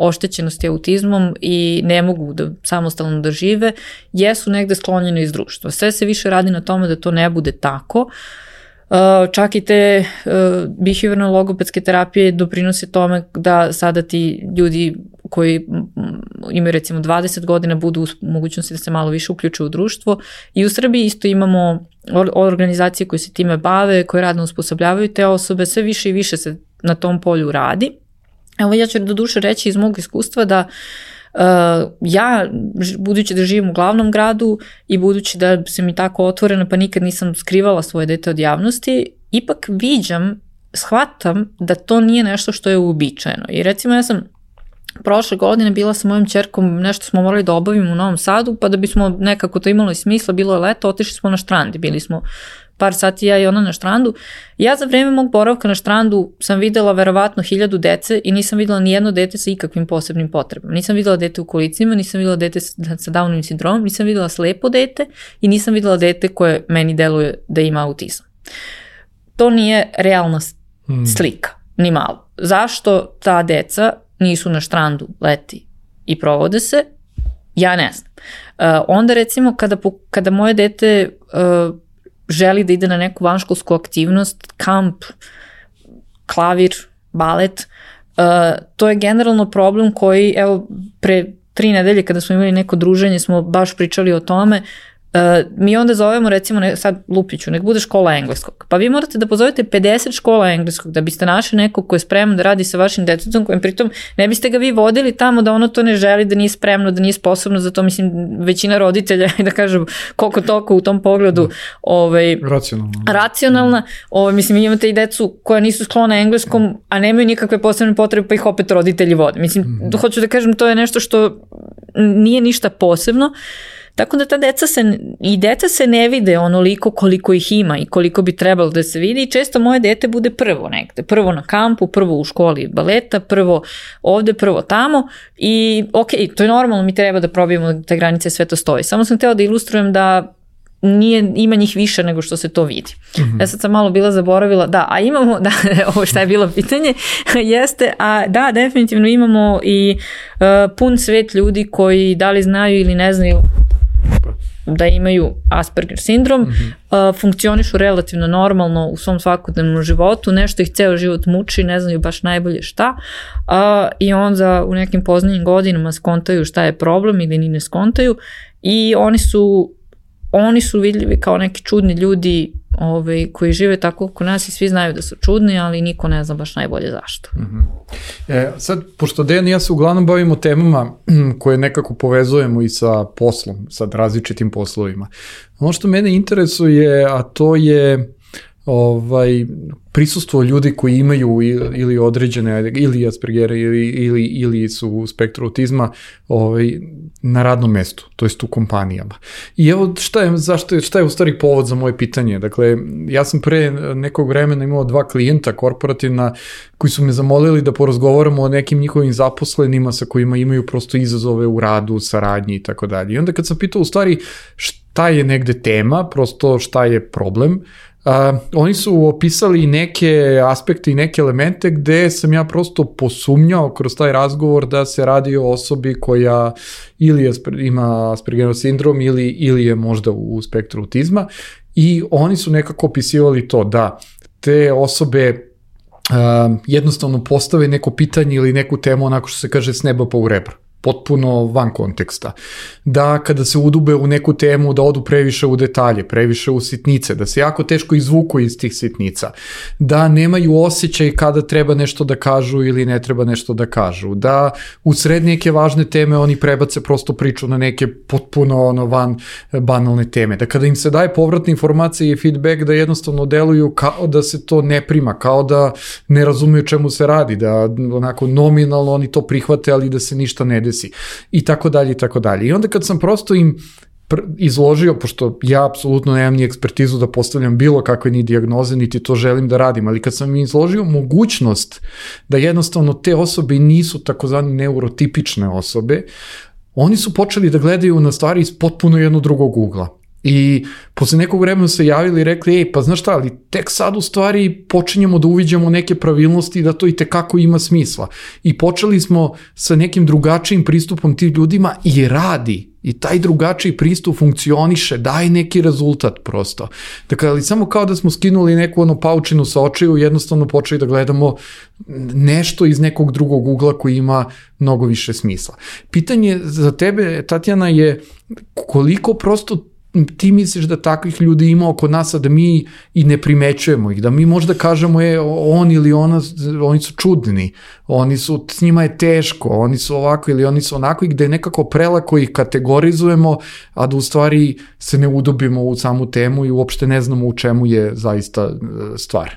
oštećenosti autizmom i ne mogu da samostalno da žive, jesu negde sklonjeni iz društva. Sve se više radi na tome da to ne bude tako. Uh, čak i te uh, behaviorno-logopedske terapije doprinose tome da sada ti ljudi koji imaju recimo dvadeset godina budu u mogućnosti da se malo više uključuju u društvo. I u Srbiji isto imamo organizacije koje se time bave, koje radno usposobljavaju te osobe, sve više i više se na tom polju radi. Evo ja ću do duše reći iz mog iskustva da Uh, ja, budući da živim u glavnom gradu i budući da sam mi tako otvorena pa nikad nisam skrivala svoje dete od javnosti, ipak viđam, shvatam da to nije nešto što je uobičajeno. I recimo ja sam prošle godine bila sa mojom ćerkom, nešto smo morali da obavimo u Novom Sadu, pa da bismo nekako to imalo i smisla, bilo je leto, otišli smo na štrand, bili smo par sati ja i ona na štrandu. Ja za vreme mog boravka na štrandu sam videla verovatno hiljadu dece i nisam videla ni jedno dete sa ikakvim posebnim potrebama. Nisam videla dete u kolicima, nisam videla dete sa Downovim sindromom, nisam videla slepo dete i nisam videla dete koje meni deluje da ima autizam. To nije realna slika, ni malo. Zašto ta deca nisu na štrandu leti i provode se? Ja ne znam. Uh, onda recimo kada, kada moje dete uh, želi da ide na neku vanškolsku aktivnost, kamp, klavir, balet, uh, to je generalno problem koji, evo, pre tri nedelje kada smo imali neko druženje smo baš pričali o tome. Uh, mi onda zovemo recimo, ne, sad lupiću, nek bude škola engleskog. Pa vi morate da pozovete pedeset škola engleskog da biste našli nekog ko je spreman da radi sa vašim detetom, kojem pritom ne biste ga vi vodili tamo da ono to ne želi, da nije spremno, da nije sposobno za to. Mislim, većina roditelja, da kažem, koliko toliko u tom pogledu ovaj, racionalna. racionalna. Ovaj, mislim, imate i decu koja nisu sklona engleskom, a nemaju nikakve posebne potrebe, pa ih opet roditelji vode. Mislim, mm. hoću da kažem, to je nešto što nije ništa posebno. Tako da ta deca se, i deca se ne vide onoliko koliko ih ima i koliko bi trebalo da se vidi i često moje dete bude prvo negde, prvo na kampu, prvo u školi baleta, prvo ovde, prvo tamo i ok, to je normalno, mi treba da probijemo te granice, sve to stoji. Samo sam htjela da ilustrujem da nije, ima njih više nego što se to vidi. Mm-hmm. Ja sad sam malo bila zaboravila, da, a imamo, da, ovo šta je bilo pitanje, jeste, a da, definitivno imamo i uh, pun svet ljudi koji da li znaju ili ne znaju da imaju Asperger sindrom, mm-hmm. uh, funkcionišu relativno normalno u svom svakodnevnom životu, nešto ih ceo život muči, ne znaju baš najbolje šta, uh, i onda u nekim poznijim godinama skontaju šta je problem ili ni ne skontaju i oni su oni su vidljivi kao neki čudni ljudi ovaj, koji žive tako oko nas i svi znaju da su čudni, ali niko ne zna baš najbolje zašto. Mm-hmm. E, sad, pošto Dejan i ja se uglavnom bavimo temama koje nekako povezujemo i sa poslom, sa različitim poslovima. Ono što mene interesuje, a to je ovaj, prisustvo ljudi koji imaju ili određene, ili Aspergera ili, ili, ili su u spektru autizma ovaj, na radnom mestu, to jest u kompanijama. I evo šta je, zašto, šta je u stvari povod za moje pitanje? Dakle, ja sam pre nekog vremena imao dva klijenta korporativna koji su me zamolili da porazgovaramo o nekim njihovim zaposlenima sa kojima imaju prosto izazove u radu, saradnji i tako dalje. I onda kad sam pitao u stvari šta je negde tema, prosto šta je problem, Uh, oni su opisali neke aspekte i neke elemente gde sam ja prosto posumnjao kroz taj razgovor da se radi o osobi koja ili asper, ima Aspergerov sindrom ili, ili je možda u spektru autizma i oni su nekako opisivali to da te osobe uh, jednostavno postave neko pitanje ili neku temu onako što se kaže s neba pa u rebra. Potpuno van konteksta. Da kada se udube u neku temu, da odu previše u detalje, previše u sitnice, da se jako teško izvuku iz tih sitnica, da nemaju osjećaj kada treba nešto da kažu ili ne treba nešto da kažu, da u sred neke važne teme oni prebace prosto priču na neke potpuno ono van banalne teme, da kada im se daje povratna informacija i feedback da jednostavno deluju kao da se to ne prima, kao da ne razumeju čemu se radi, da onako nominalno oni to prihvate, ali da se ništa ne desi i tako dalje i tako dalje. I onda kad sam prosto im izložio, pošto ja apsolutno nemam ni ekspertizu da postavljam bilo kakve ni dijagnoze, niti to želim da radim, ali kad sam im izložio mogućnost da jednostavno te osobe nisu takozvani neurotipične osobe, oni su počeli da gledaju na stvari iz potpuno jednog drugog ugla. I posle nekog vremena se javili i rekli, ej, pa znaš šta, ali tek sad u stvari počinjemo da uviđamo neke pravilnosti da to i tekako ima smisla. I počeli smo sa nekim drugačijim pristupom tim ljudima i radi. I taj drugačiji pristup funkcioniše, daje neki rezultat prosto. Dakle, ali samo kao da smo skinuli neku ono paučinu sa očiju, jednostavno počeli da gledamo nešto iz nekog drugog ugla koji ima mnogo više smisla. Pitanje za tebe, Tatjana, je koliko prosto ti misliš da takvih ljudi ima oko nas, a da mi i ne primećujemo ih, da mi možda kažemo je on ili ona, oni su čudni, oni su, s njima je teško, oni su ovako ili oni su onako, i gde nekako prelako ih kategorizujemo, a da u stvari se ne udubimo u samu temu i uopšte ne znamo u čemu je zaista stvar.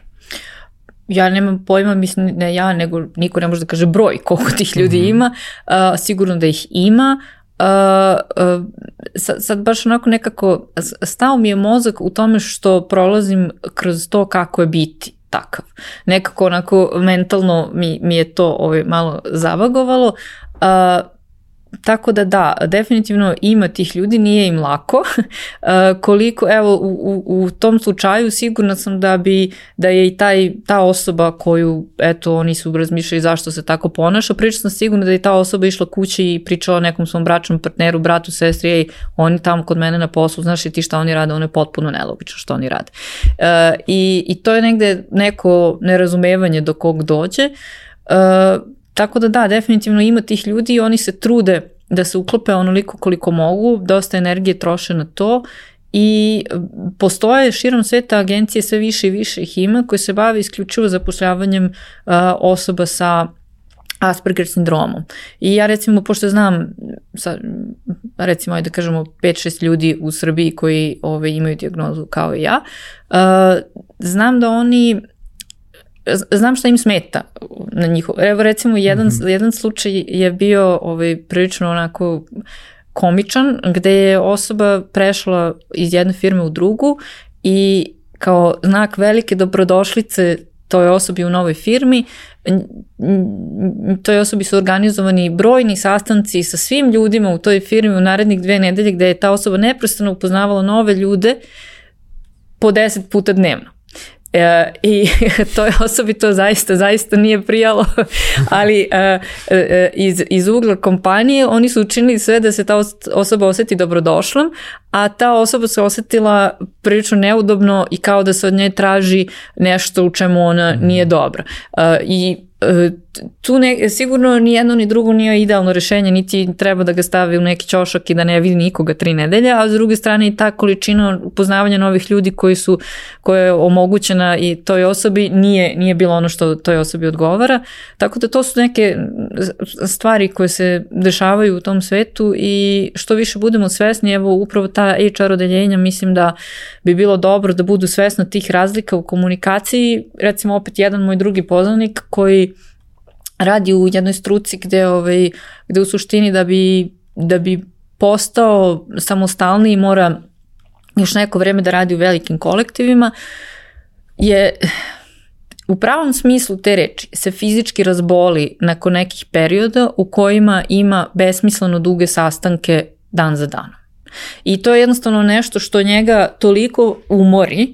Ja nemam pojma, mislim, ne ja, nego niko ne može da kaže broj koliko tih ljudi mm-hmm. ima, uh, sigurno da ih ima. Uh, uh, sad, sad baš onako nekako stao mi je mozak u tome što prolazim kroz to kako je biti takav. Nekako onako mentalno mi, mi je to ovaj, malo zavagovalo. Uh, Tako da da, definitivno ima tih ljudi, nije im lako. Uh, koliko, evo, u, u, u tom slučaju sigurna sam da bi, da je i taj, ta osoba koju, eto, oni su razmišljali zašto se tako ponaša, priča sam sigurna da je ta osoba išla kući i pričala nekom svom bračnom partneru, bratu, sestri, ej, oni tamo kod mene na poslu, znaš li ti šta oni rade, ono je potpuno nelogično što oni rade. Uh, i, I to je negde neko nerazumevanje do kog dođe. Uh, Tako da da, definitivno ima tih ljudi i oni se trude da se uklope onoliko koliko mogu, dosta energije troše na to i postoje širom sveta agencije, sve više i više ih ima, koje se bave isključivo zapošljavanjem uh, osoba sa Asperger sindromom. I ja recimo, pošto znam, sa, recimo, da kažemo, pet šest ljudi u Srbiji koji ove, imaju dijagnozu kao i ja, uh, znam da oni znam šta im smeta na njihov. Evo recimo jedan, mm-hmm. jedan slučaj je bio ovaj, prilično onako komičan, gde je osoba prešla iz jedne firme u drugu i kao znak velike dobrodošlice toj osobi u novoj firmi, toj osobi su organizovani brojni sastanci sa svim ljudima u toj firmi u narednih dve nedelje, gde je ta osoba neprestano upoznavala nove ljude po deset puta dnevno. E, i toj osobi to zaista, zaista nije prijalo, ali e, e, iz, iz ugla kompanije oni su učinili sve da se ta osoba osjeti dobrodošlom, a ta osoba se osjetila prilično neudobno i kao da se od nje traži nešto u čemu ona nije dobra. E, I tu ne, sigurno ni jedno ni drugo nije idealno rešenje, niti treba da ga stavi u neki ćošak i da ne vidi nikoga tri nedelje, a s druge strane i ta količina upoznavanja novih ljudi koji su, koja je omogućena i toj osobi nije, nije bilo ono što toj osobi odgovara. Tako da to su neke stvari koje se dešavaju u tom svetu i što više budemo svesni, evo upravo ta H R odeljenja, mislim da bi bilo dobro da budu svesni tih razlika u komunikaciji. Recimo opet jedan moj drugi poznanik koji radi u jednoj struci gde, ovaj, gde u suštini da bi, da bi postao samostalniji mora još neko vreme da radi u velikim kolektivima, je u pravom smislu te reči se fizički razboli nakon nekih perioda u kojima ima besmisleno duge sastanke dan za danom. I to je jednostavno nešto što njega toliko umori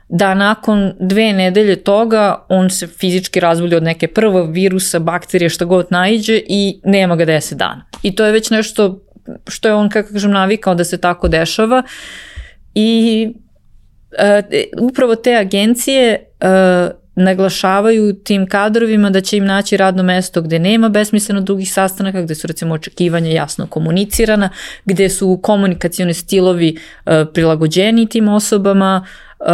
da nakon dve nedelje toga on se fizički razboli od neke prve virusa, bakterije, šta god naiđe i nema ga deset dana. I to je već nešto što je on, kako kažem, navikao da se tako dešava i uh, upravo te agencije uh, naglašavaju tim kadrovima da će im naći radno mesto gde nema besmisleno dugih sastanaka, gde su recimo očekivanja jasno komunicirana, gde su komunikacioni stilovi uh, prilagođeni tim osobama, Uh,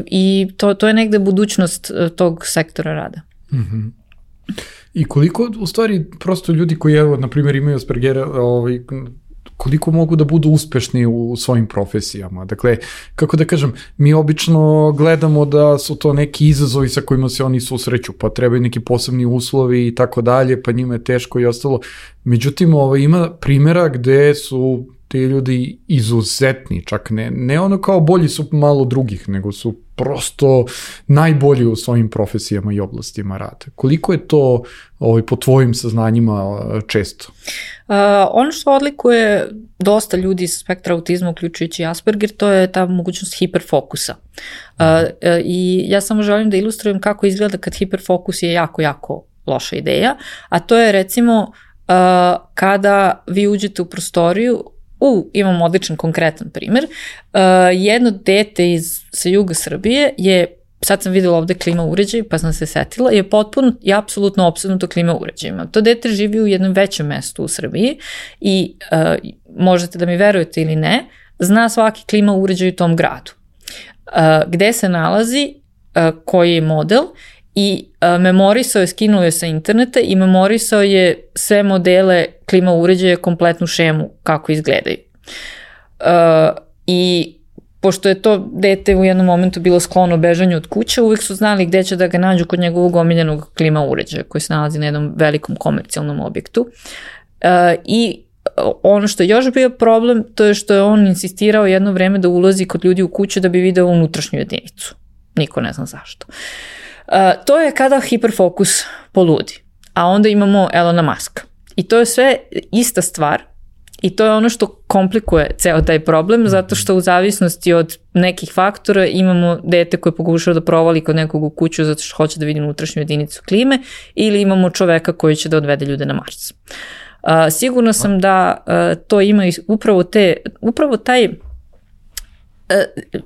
i to, to je negde budućnost uh, tog sektora rada. Mm-hmm. I koliko u stvari prosto ljudi koji evo, na primjer imaju Aspergera, ovaj, koliko mogu da budu uspešni u svojim profesijama. Dakle, kako da kažem, mi obično gledamo da su to neki izazovi sa kojima se oni susreću, pa trebaju neki posebni uslovi i tako dalje, pa njima je teško i ostalo. Međutim, ovaj, ima primjera gde su ti ljudi izuzetni, čak ne, ne ono kao bolji su malo drugih, nego su prosto najbolji u svojim profesijama i oblastima rada. Koliko je to ovaj, po tvojim saznanjima često? Uh, ono što odlikuje dosta ljudi sa spektra autizma, uključujući Asperger, to je ta mogućnost hiperfokusa. Uh, uh, I ja samo želim da ilustrujem kako izgleda kad hiperfokus je jako, jako loša ideja, a to je recimo uh, kada vi uđete u prostoriju, u, imam odličan konkretan primjer, uh, jedno dete iz, sa juga Srbije je, sad sam videla ovde klima uređaj, pa sam se setila, je potpuno i apsolutno opsednuto klima uređajima. To dete živi u jednom većem mestu u Srbiji i uh, možete da mi verujete ili ne, zna svaki klima uređaj u tom gradu. Uh, gde se nalazi, uh, koji je model i uh, memorisao je, skinuo je sa interneta i memorisao je sve modele klima uređaja, kompletnu šemu kako izgledaju. Uh, I pošto je to dete u jednom momentu bilo sklono bežanju od kuće, uvijek su znali gde će da ga nađu kod njegovog omiljenog klima uređaja koji se nalazi na jednom velikom komercijalnom objektu. Uh, I ono što je još bio problem, to je što je on insistirao jedno vreme da ulazi kod ljudi u kuću da bi video unutrašnju jedinicu. Niko ne zna zašto. Uh, to je kada hiperfokus poludi. A onda imamo Elona Muska. I to je sve ista stvar i to je ono što komplikuje ceo taj problem, zato što u zavisnosti od nekih faktora imamo dete koje pokušava da provali kod nekog u kuću zato što hoće da vidi unutrašnju jedinicu klime ili imamo čoveka koji će da odvede ljude na Mars. Uh, sigurno sam da uh, to ima upravo te, upravo taj, uh,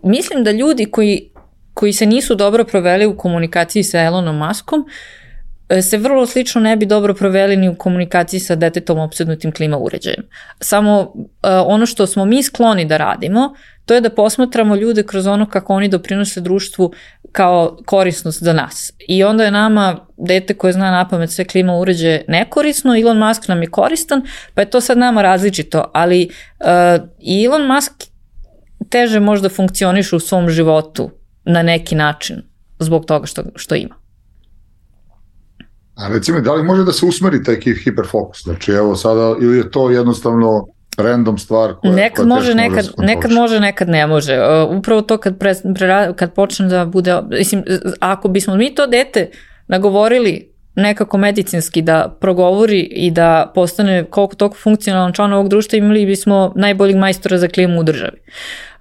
mislim da ljudi koji, koji se nisu dobro proveli u komunikaciji sa Elonom Muskom se vrlo slično ne bi dobro proveli ni u komunikaciji sa detetom opsednutim klima uređajem. Samo uh, ono što smo mi skloni da radimo, to je da posmatramo ljude kroz ono kako oni doprinose društvu kao korisnost za nas. I onda je nama dete koje zna napamet sve klima uređaje nekorisno, Elon Musk nam je koristan, pa je to sad nama različito, ali uh, Elon Musk teže možda funkcioniše u svom životu na neki način zbog toga što, što ima. A recimo, da li može da se usmeri taj hiperfokus? Znači, evo sada, ili je to jednostavno random stvar koja, nekad koja može, nekad, može nekad može, nekad ne može. Uh, upravo to kad, pre, pre, kad počne da bude, mislim, ako bismo mi to dete nagovorili nekako medicinski da progovori i da postane koliko toliko funkcionalan član ovog društva, imali bismo najboljeg majstora za klimu u državi.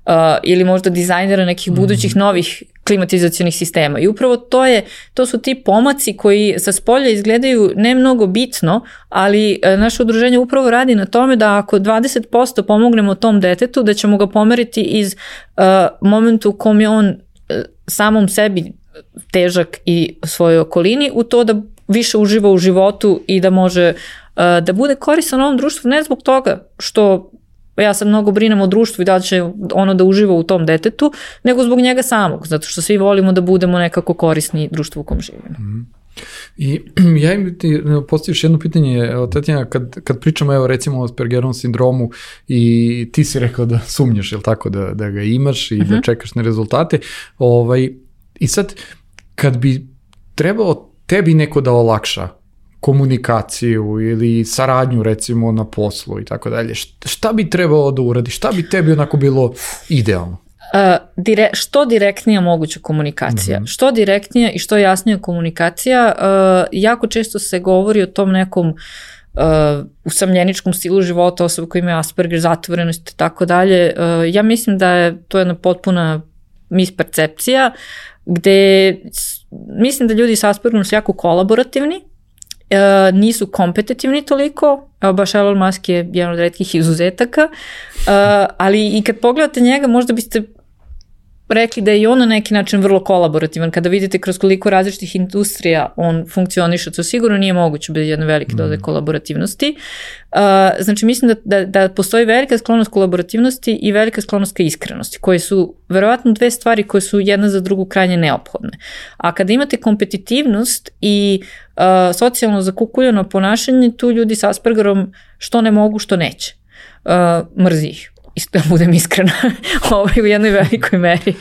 Uh, ili možda dizajnera nekih budućih novih klimatizacionih sistema. I upravo to je, to su ti pomaci koji sa spolja izgledaju ne mnogo bitno, ali uh, naše udruženje upravo radi na tome da ako dvadeset posto pomognemo tom detetu, da ćemo ga pomeriti iz uh, momentu u kom je on uh, samom sebi težak i svojoj okolini u to da više uživa u životu i da može uh, da bude koristan ovom društvu, ne zbog toga što ja sad mnogo brinem o društvu i da će ono da uživa u tom detetu, nego zbog njega samog, zato što svi volimo da budemo nekako korisni društvu u kom živimo. Mm. I ja im ti postaviš jedno pitanje, Tatjana, kad, kad pričamo evo recimo o Aspergerovom sindromu i ti si rekao da sumnjaš, jel tako, da, da ga imaš i uh-huh. da čekaš na rezultate, ovaj, i sad kad bi trebao tebi neko da olakša komunikaciju ili saradnju recimo na poslu i tako dalje, šta bi trebao da uradi, šta bi tebi onako bilo idealno? Uh, dire, što direktnija moguća komunikacija. Mm-hmm. Što direktnija i što jasnija komunikacija. Uh, jako često se govori o tom nekom uh, usamljeničkom stilu života, osoba koja ima Asperger, zatvorenost i tako dalje. Uh, ja mislim da je to jedna potpuna mispercepcija gde mislim da ljudi sa Aspergerom su jako kolaborativni, Uh, nisu kompetitivni toliko, evo baš Elon Musk je jedan od retkih izuzetaka, uh, ali i kad pogledate njega možda biste rekli da je i on na neki način vrlo kolaborativan. Kada vidite kroz koliko različitih industrija on funkcioniše, to sigurno nije moguće bez jedne velike doze mm. kolaborativnosti. Uh, znači mislim da, da, da postoji velika sklonost kolaborativnosti i velika sklonost ka iskrenosti, koje su verovatno dve stvari koje su jedna za drugu krajnje neophodne. A kada imate kompetitivnost i uh, socijalno zakukuljeno ponašanje, tu ljudi sa Aspergerom što ne mogu, što neće. Uh, mrzi ih. da budem iskrena, ovaj, u jednoj velikoj meri.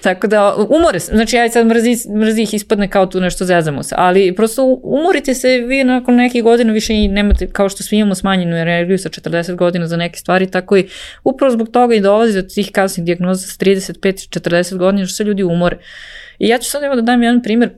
Tako da, umore se, znači ja sad mrzi, mrzi ih ispadne kao tu nešto zezamo se, ali prosto umorite se, vi nakon nekih godina više i nemate, kao što svi imamo smanjenu energiju sa četrdeset godina za neke stvari, tako i upravo zbog toga i dolazi do tih kasnih dijagnoza sa trideset pet četrdeset godina, što se ljudi umore. I ja ću sad evo da dam jedan primjer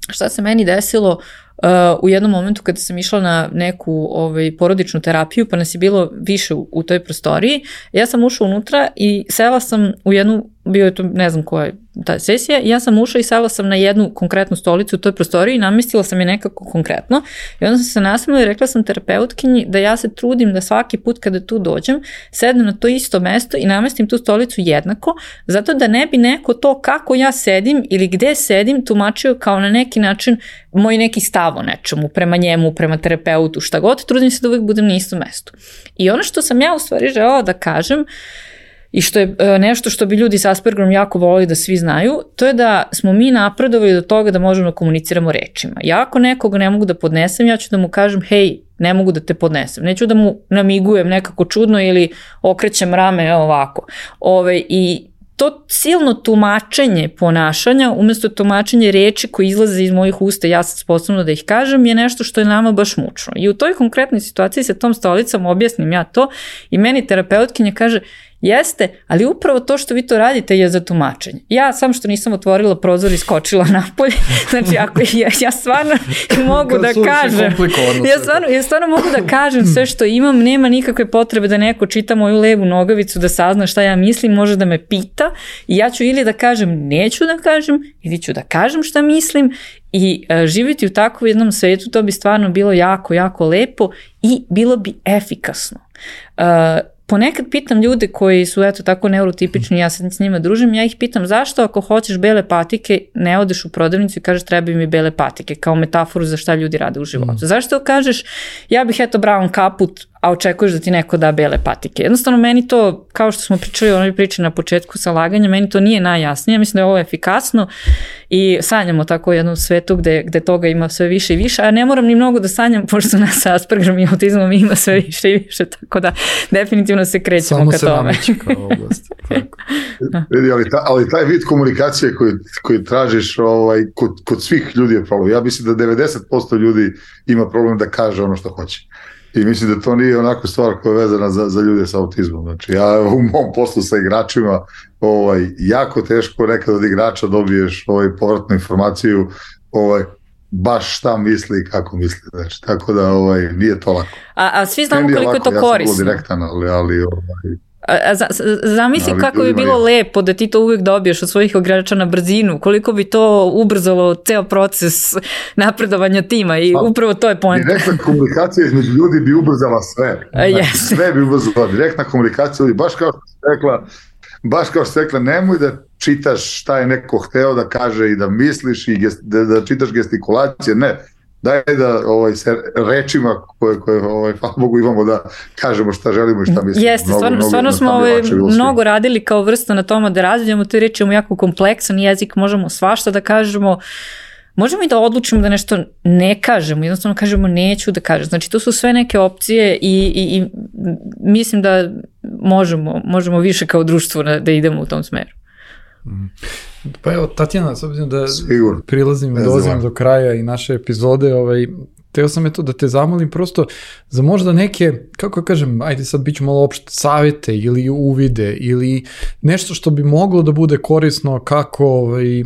šta se meni desilo Uh, u jednom momentu kada sam išla na neku ovaj, porodičnu terapiju, pa nas je bilo više u, u toj prostoriji, ja sam ušla unutra i sela sam u jednu, bio je to ne znam koja je ta sesija, i ja sam ušla i sela sam na jednu konkretnu stolicu u toj prostoriji i namestila sam je nekako konkretno i onda sam se nasmela i rekla sam terapeutkinji da ja se trudim da svaki put kada tu dođem sednem na to isto mesto i namestim tu stolicu jednako, zato da ne bi neko to kako ja sedim ili gde sedim tumačio kao na neki način moj neki stav o nečemu, prema njemu, prema terapeutu, šta god, trudim se da uvijek budem na istom mestu. I ono što sam ja u stvari želela da kažem i što je nešto što bi ljudi s Aspergerom jako volili da svi znaju, to je da smo mi napredovali do toga da možemo da komuniciramo rečima. Ja ako nekoga ne mogu da podnesem, ja ću da mu kažem, hej, ne mogu da te podnesem. Neću da mu namigujem nekako čudno ili okrećem rame, evo ovako. Ove, I to silno tumačenje ponašanja, umjesto tumačenje reči koji izlaze iz mojih usta, ja sam sposobna da ih kažem, je nešto što je nama baš mučno. I u toj konkretnoj situaciji sa tom stolicom objasnim ja to i meni terapeutkinja kaže, jeste, ali upravo to što vi to radite je za tumačenje. Ja sam što nisam otvorila prozor i skočila napolje, znači ako ja, ja stvarno mogu da kažem, ja stvarno, ja stvarno mogu da kažem sve što imam, nema nikakve potrebe da neko čita moju levu nogavicu da sazna šta ja mislim, može da me pita i ja ću ili da kažem neću da kažem, ili ću da kažem šta mislim i uh, živjeti u takvom jednom svetu, to bi stvarno bilo jako, jako lepo i bilo bi efikasno. Uh, Ponekad pitam ljude koji su eto tako neurotipični, ja se s njima družim, ja ih pitam zašto ako hoćeš bele patike ne odeš u prodavnicu i kažeš trebaju mi bele patike kao metaforu za šta ljudi rade u životu. Mm. Zašto kažeš ja bih eto brown kaput, a očekuješ da ti neko da bele patike. Jednostavno meni to, kao što smo pričali o onoj priči na početku sa laganjem, meni to nije najjasnije, mislim da je ovo efikasno i sanjamo tako u jednom svetu gde, gde toga ima sve više i više, a ne moram ni mnogo da sanjam, pošto nas sa Aspergerom i autizmom ima sve više i više, tako da definitivno se krećemo Samo ka tome. Samo se nameće kao oblast. Vidi, ali, ta, ali taj vid komunikacije koji, koji tražiš ovaj, kod, kod svih ljudi je problem. Ja mislim da devedeset posto ljudi ima problem da kaže ono što hoće. I mislim da to nije onako stvar koja je vezana za, za ljude sa autizmom. Znači ja u mom poslu sa igračima ovaj, jako teško nekad od igrača dobiješ ovaj, povratnu informaciju ovaj, baš šta misli i kako misli. Znači, tako da ovaj, nije to lako. A, a svi znamo koliko je to ja korisno. Ja sam direktan, ali... ali ovaj, A, za, zamisli ali kako bi bilo je. lepo da ti to uvijek dobiješ od svojih igrača na brzinu, koliko bi to ubrzalo ceo proces napredovanja tima i a, upravo to je point. Direktna komunikacija između ljudi bi ubrzala sve. Yes. Sve bi ubrzala. Direktna komunikacija, baš kao što si rekla, baš kao što si rekla, nemoj da čitaš šta je neko hteo da kaže i da misliš i gest, da, da čitaš gestikulacije, ne. Daj da ovaj, se rečima koje, koje ovaj, hvala Bogu imamo da kažemo šta želimo i šta mislimo. Jeste, mnogo, stvarno, mnogo, stvarno smo ovaj, mnogo radili kao vrsta na tome da razvijamo te reči, imamo jako kompleksan jezik, možemo svašta da kažemo, možemo i da odlučimo da nešto ne kažemo, jednostavno kažemo neću da kažem. Znači to su sve neke opcije i, i, i mislim da možemo, možemo više kao društvo da, da idemo u tom smeru. Mm. Pa evo, Tatjana, s obzirom da Sigur. prilazim i dolazim do kraja i naše epizode, ovaj, teo sam eto da te zamolim prosto za možda neke, kako kažem, ajde sad bit ću malo opšte, savjete ili uvide ili nešto što bi moglo da bude korisno kako ovaj,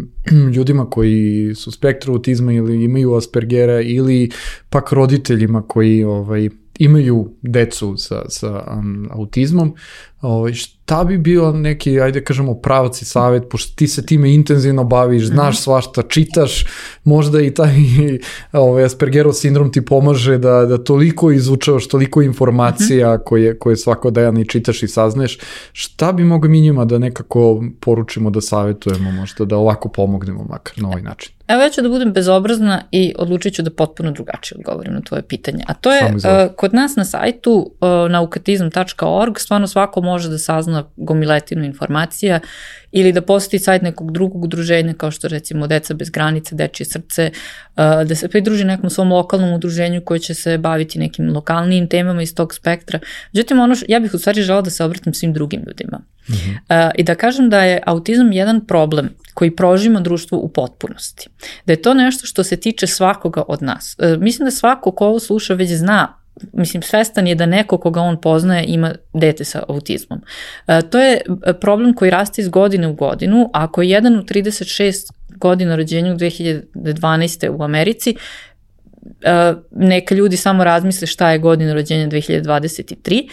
ljudima koji su spektru autizma ili imaju Aspergera ili pak roditeljima koji ovaj, imaju decu sa, sa um, autizmom, ovaj, šta bi bio neki, ajde kažemo, pravac i savjet, pošto ti se time intenzivno baviš, znaš svašta, čitaš, možda i taj ovaj, Aspergerov sindrom ti pomaže da, da toliko izučavaš, toliko informacija koje, koje svakodnevno i čitaš i saznaješ, šta bi mogli mi njima da nekako poručimo, da savjetujemo, možda da ovako pomognemo makar na ovaj način? Evo ja ću da budem bezobrazna i odlučit ću da potpuno drugačije odgovorim na tvoje pitanje. A to je, uh, kod nas na sajtu uh, naukatizam tačka org stvarno svako može da sazna gomiletinu informacija ili da poseti sajt nekog drugog udruženja kao što recimo Deca bez granice, Dečije srce, uh, da se pridruži nekom svom lokalnom udruženju koje će se baviti nekim lokalnijim temama iz tog spektra. Međutim, ono što, ja bih u stvari žela da se obratim svim drugim ljudima. Mm-hmm. Uh, i da kažem da je autizam jedan problem koji prožima društvo u potpunosti. Da je to nešto što se tiče svakoga od nas. Uh, mislim da svako ko ovo sluša već zna, mislim, svestan je da neko koga on poznaje ima dete sa autizmom. Uh, to je problem koji raste iz godine u godinu. Ako je jedan u trideset šest godina rođenja u dve hiljade dvanaeste. u Americi, uh, neka ljudi samo razmisle šta je godina rođenja dve hiljade dvadeset tri.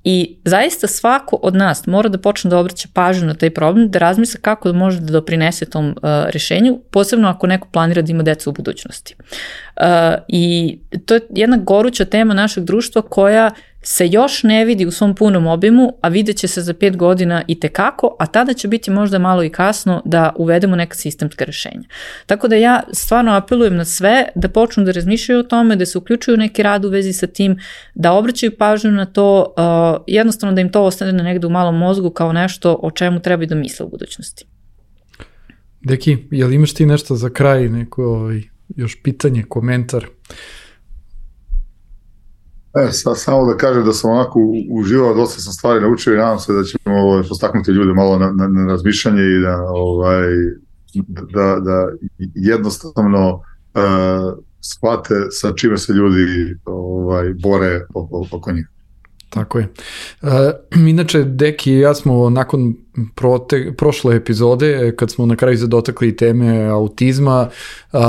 I zaista svako od nas mora da počne da obraća pažnju na taj problem, da razmisle kako da može da doprinese tom uh, rešenju, posebno ako neko planira da ima decu u budućnosti. Uh, I to je jedna goruća tema našeg društva koja se još ne vidi u svom punom obimu, a vidjet će se za pet godina i tekako, a tada će biti možda malo i kasno da uvedemo neka sistemska rešenja. Tako da ja stvarno apelujem na sve da počnu da razmišljaju o tome, da se uključuju neki rad u vezi sa tim, da obraćaju pažnju na to, uh, jednostavno da im to ostane negde u malom mozgu kao nešto o čemu treba da misle u budućnosti. Deki, jel imaš ti nešto za kraj, neko ovaj, još pitanje, komentar? E, sad, samo da kažem da sam onako uživao, dosta sam stvari naučio i nadam se da ćemo ovaj, postaknuti ljude malo na, na, na razmišljanje i da, ovaj, da, da jednostavno uh, shvate sa čime se ljudi ovaj, bore oko, oko njih. Tako je. Uh, inače, Deki i ja smo nakon prote, prošle epizode, kad smo na kraju zadotakli teme autizma, uh,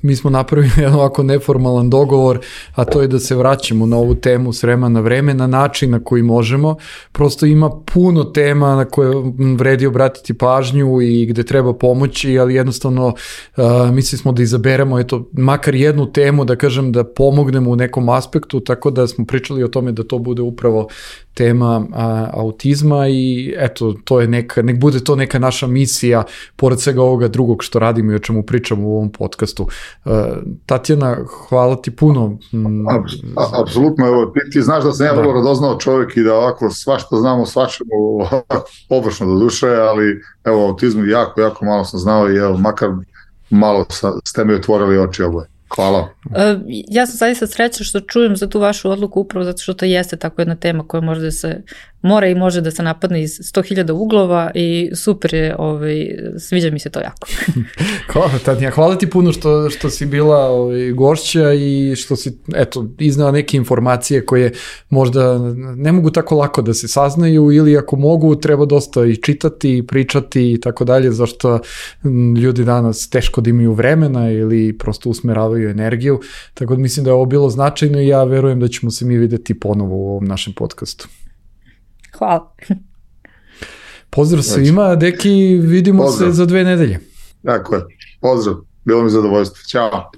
mi smo napravili jedan ovako neformalan dogovor, a to je da se vraćamo na ovu temu s vremena na vreme, na način na koji možemo. Prosto ima puno tema na koje vredi obratiti pažnju i gde treba pomoći, ali jednostavno uh, mislili smo da izaberemo eto, makar jednu temu, da kažem da pomognemo u nekom aspektu, tako da smo pričali o tome da to bude upravo tema a, autizma i eto, to je neka, nek bude to neka naša misija, pored svega ovoga drugog što radimo i o čemu pričamo u ovom podcastu. Uh, Tatjana, hvala ti puno. Apsolutno, evo, ti, ti znaš da sam ja vrlo radoznao čovjek i da ovako svašta znamo, svačemo površno do duše, ali evo, autizmu jako, jako malo sam znao i evo, makar malo sa, ste mi otvorili oči oboje. Hvala. Uh, ja sam zaista srećna što čujem za tu vašu odluku upravo zato što to jeste tako jedna tema koja može da se mora i može da se napadne iz sto hiljada uglova i super je, ovaj, sviđa mi se to jako. Hvala, Tatjana, hvala ti puno što, što si bila ovaj, gošća i što si eto, iznala neke informacije koje možda ne mogu tako lako da se saznaju ili ako mogu treba dosta i čitati i pričati i tako dalje, zašto ljudi danas teško da imaju vremena ili prosto usmeravaju energiju, tako da mislim da je ovo bilo značajno i ja verujem da ćemo se mi videti ponovo u ovom našem podcastu. Hvala. Pozdrav svima, Deki, vidimo Pozdrav. se za dve nedelje. Tako je, pozdrav, bilo mi zadovoljstvo, ćao.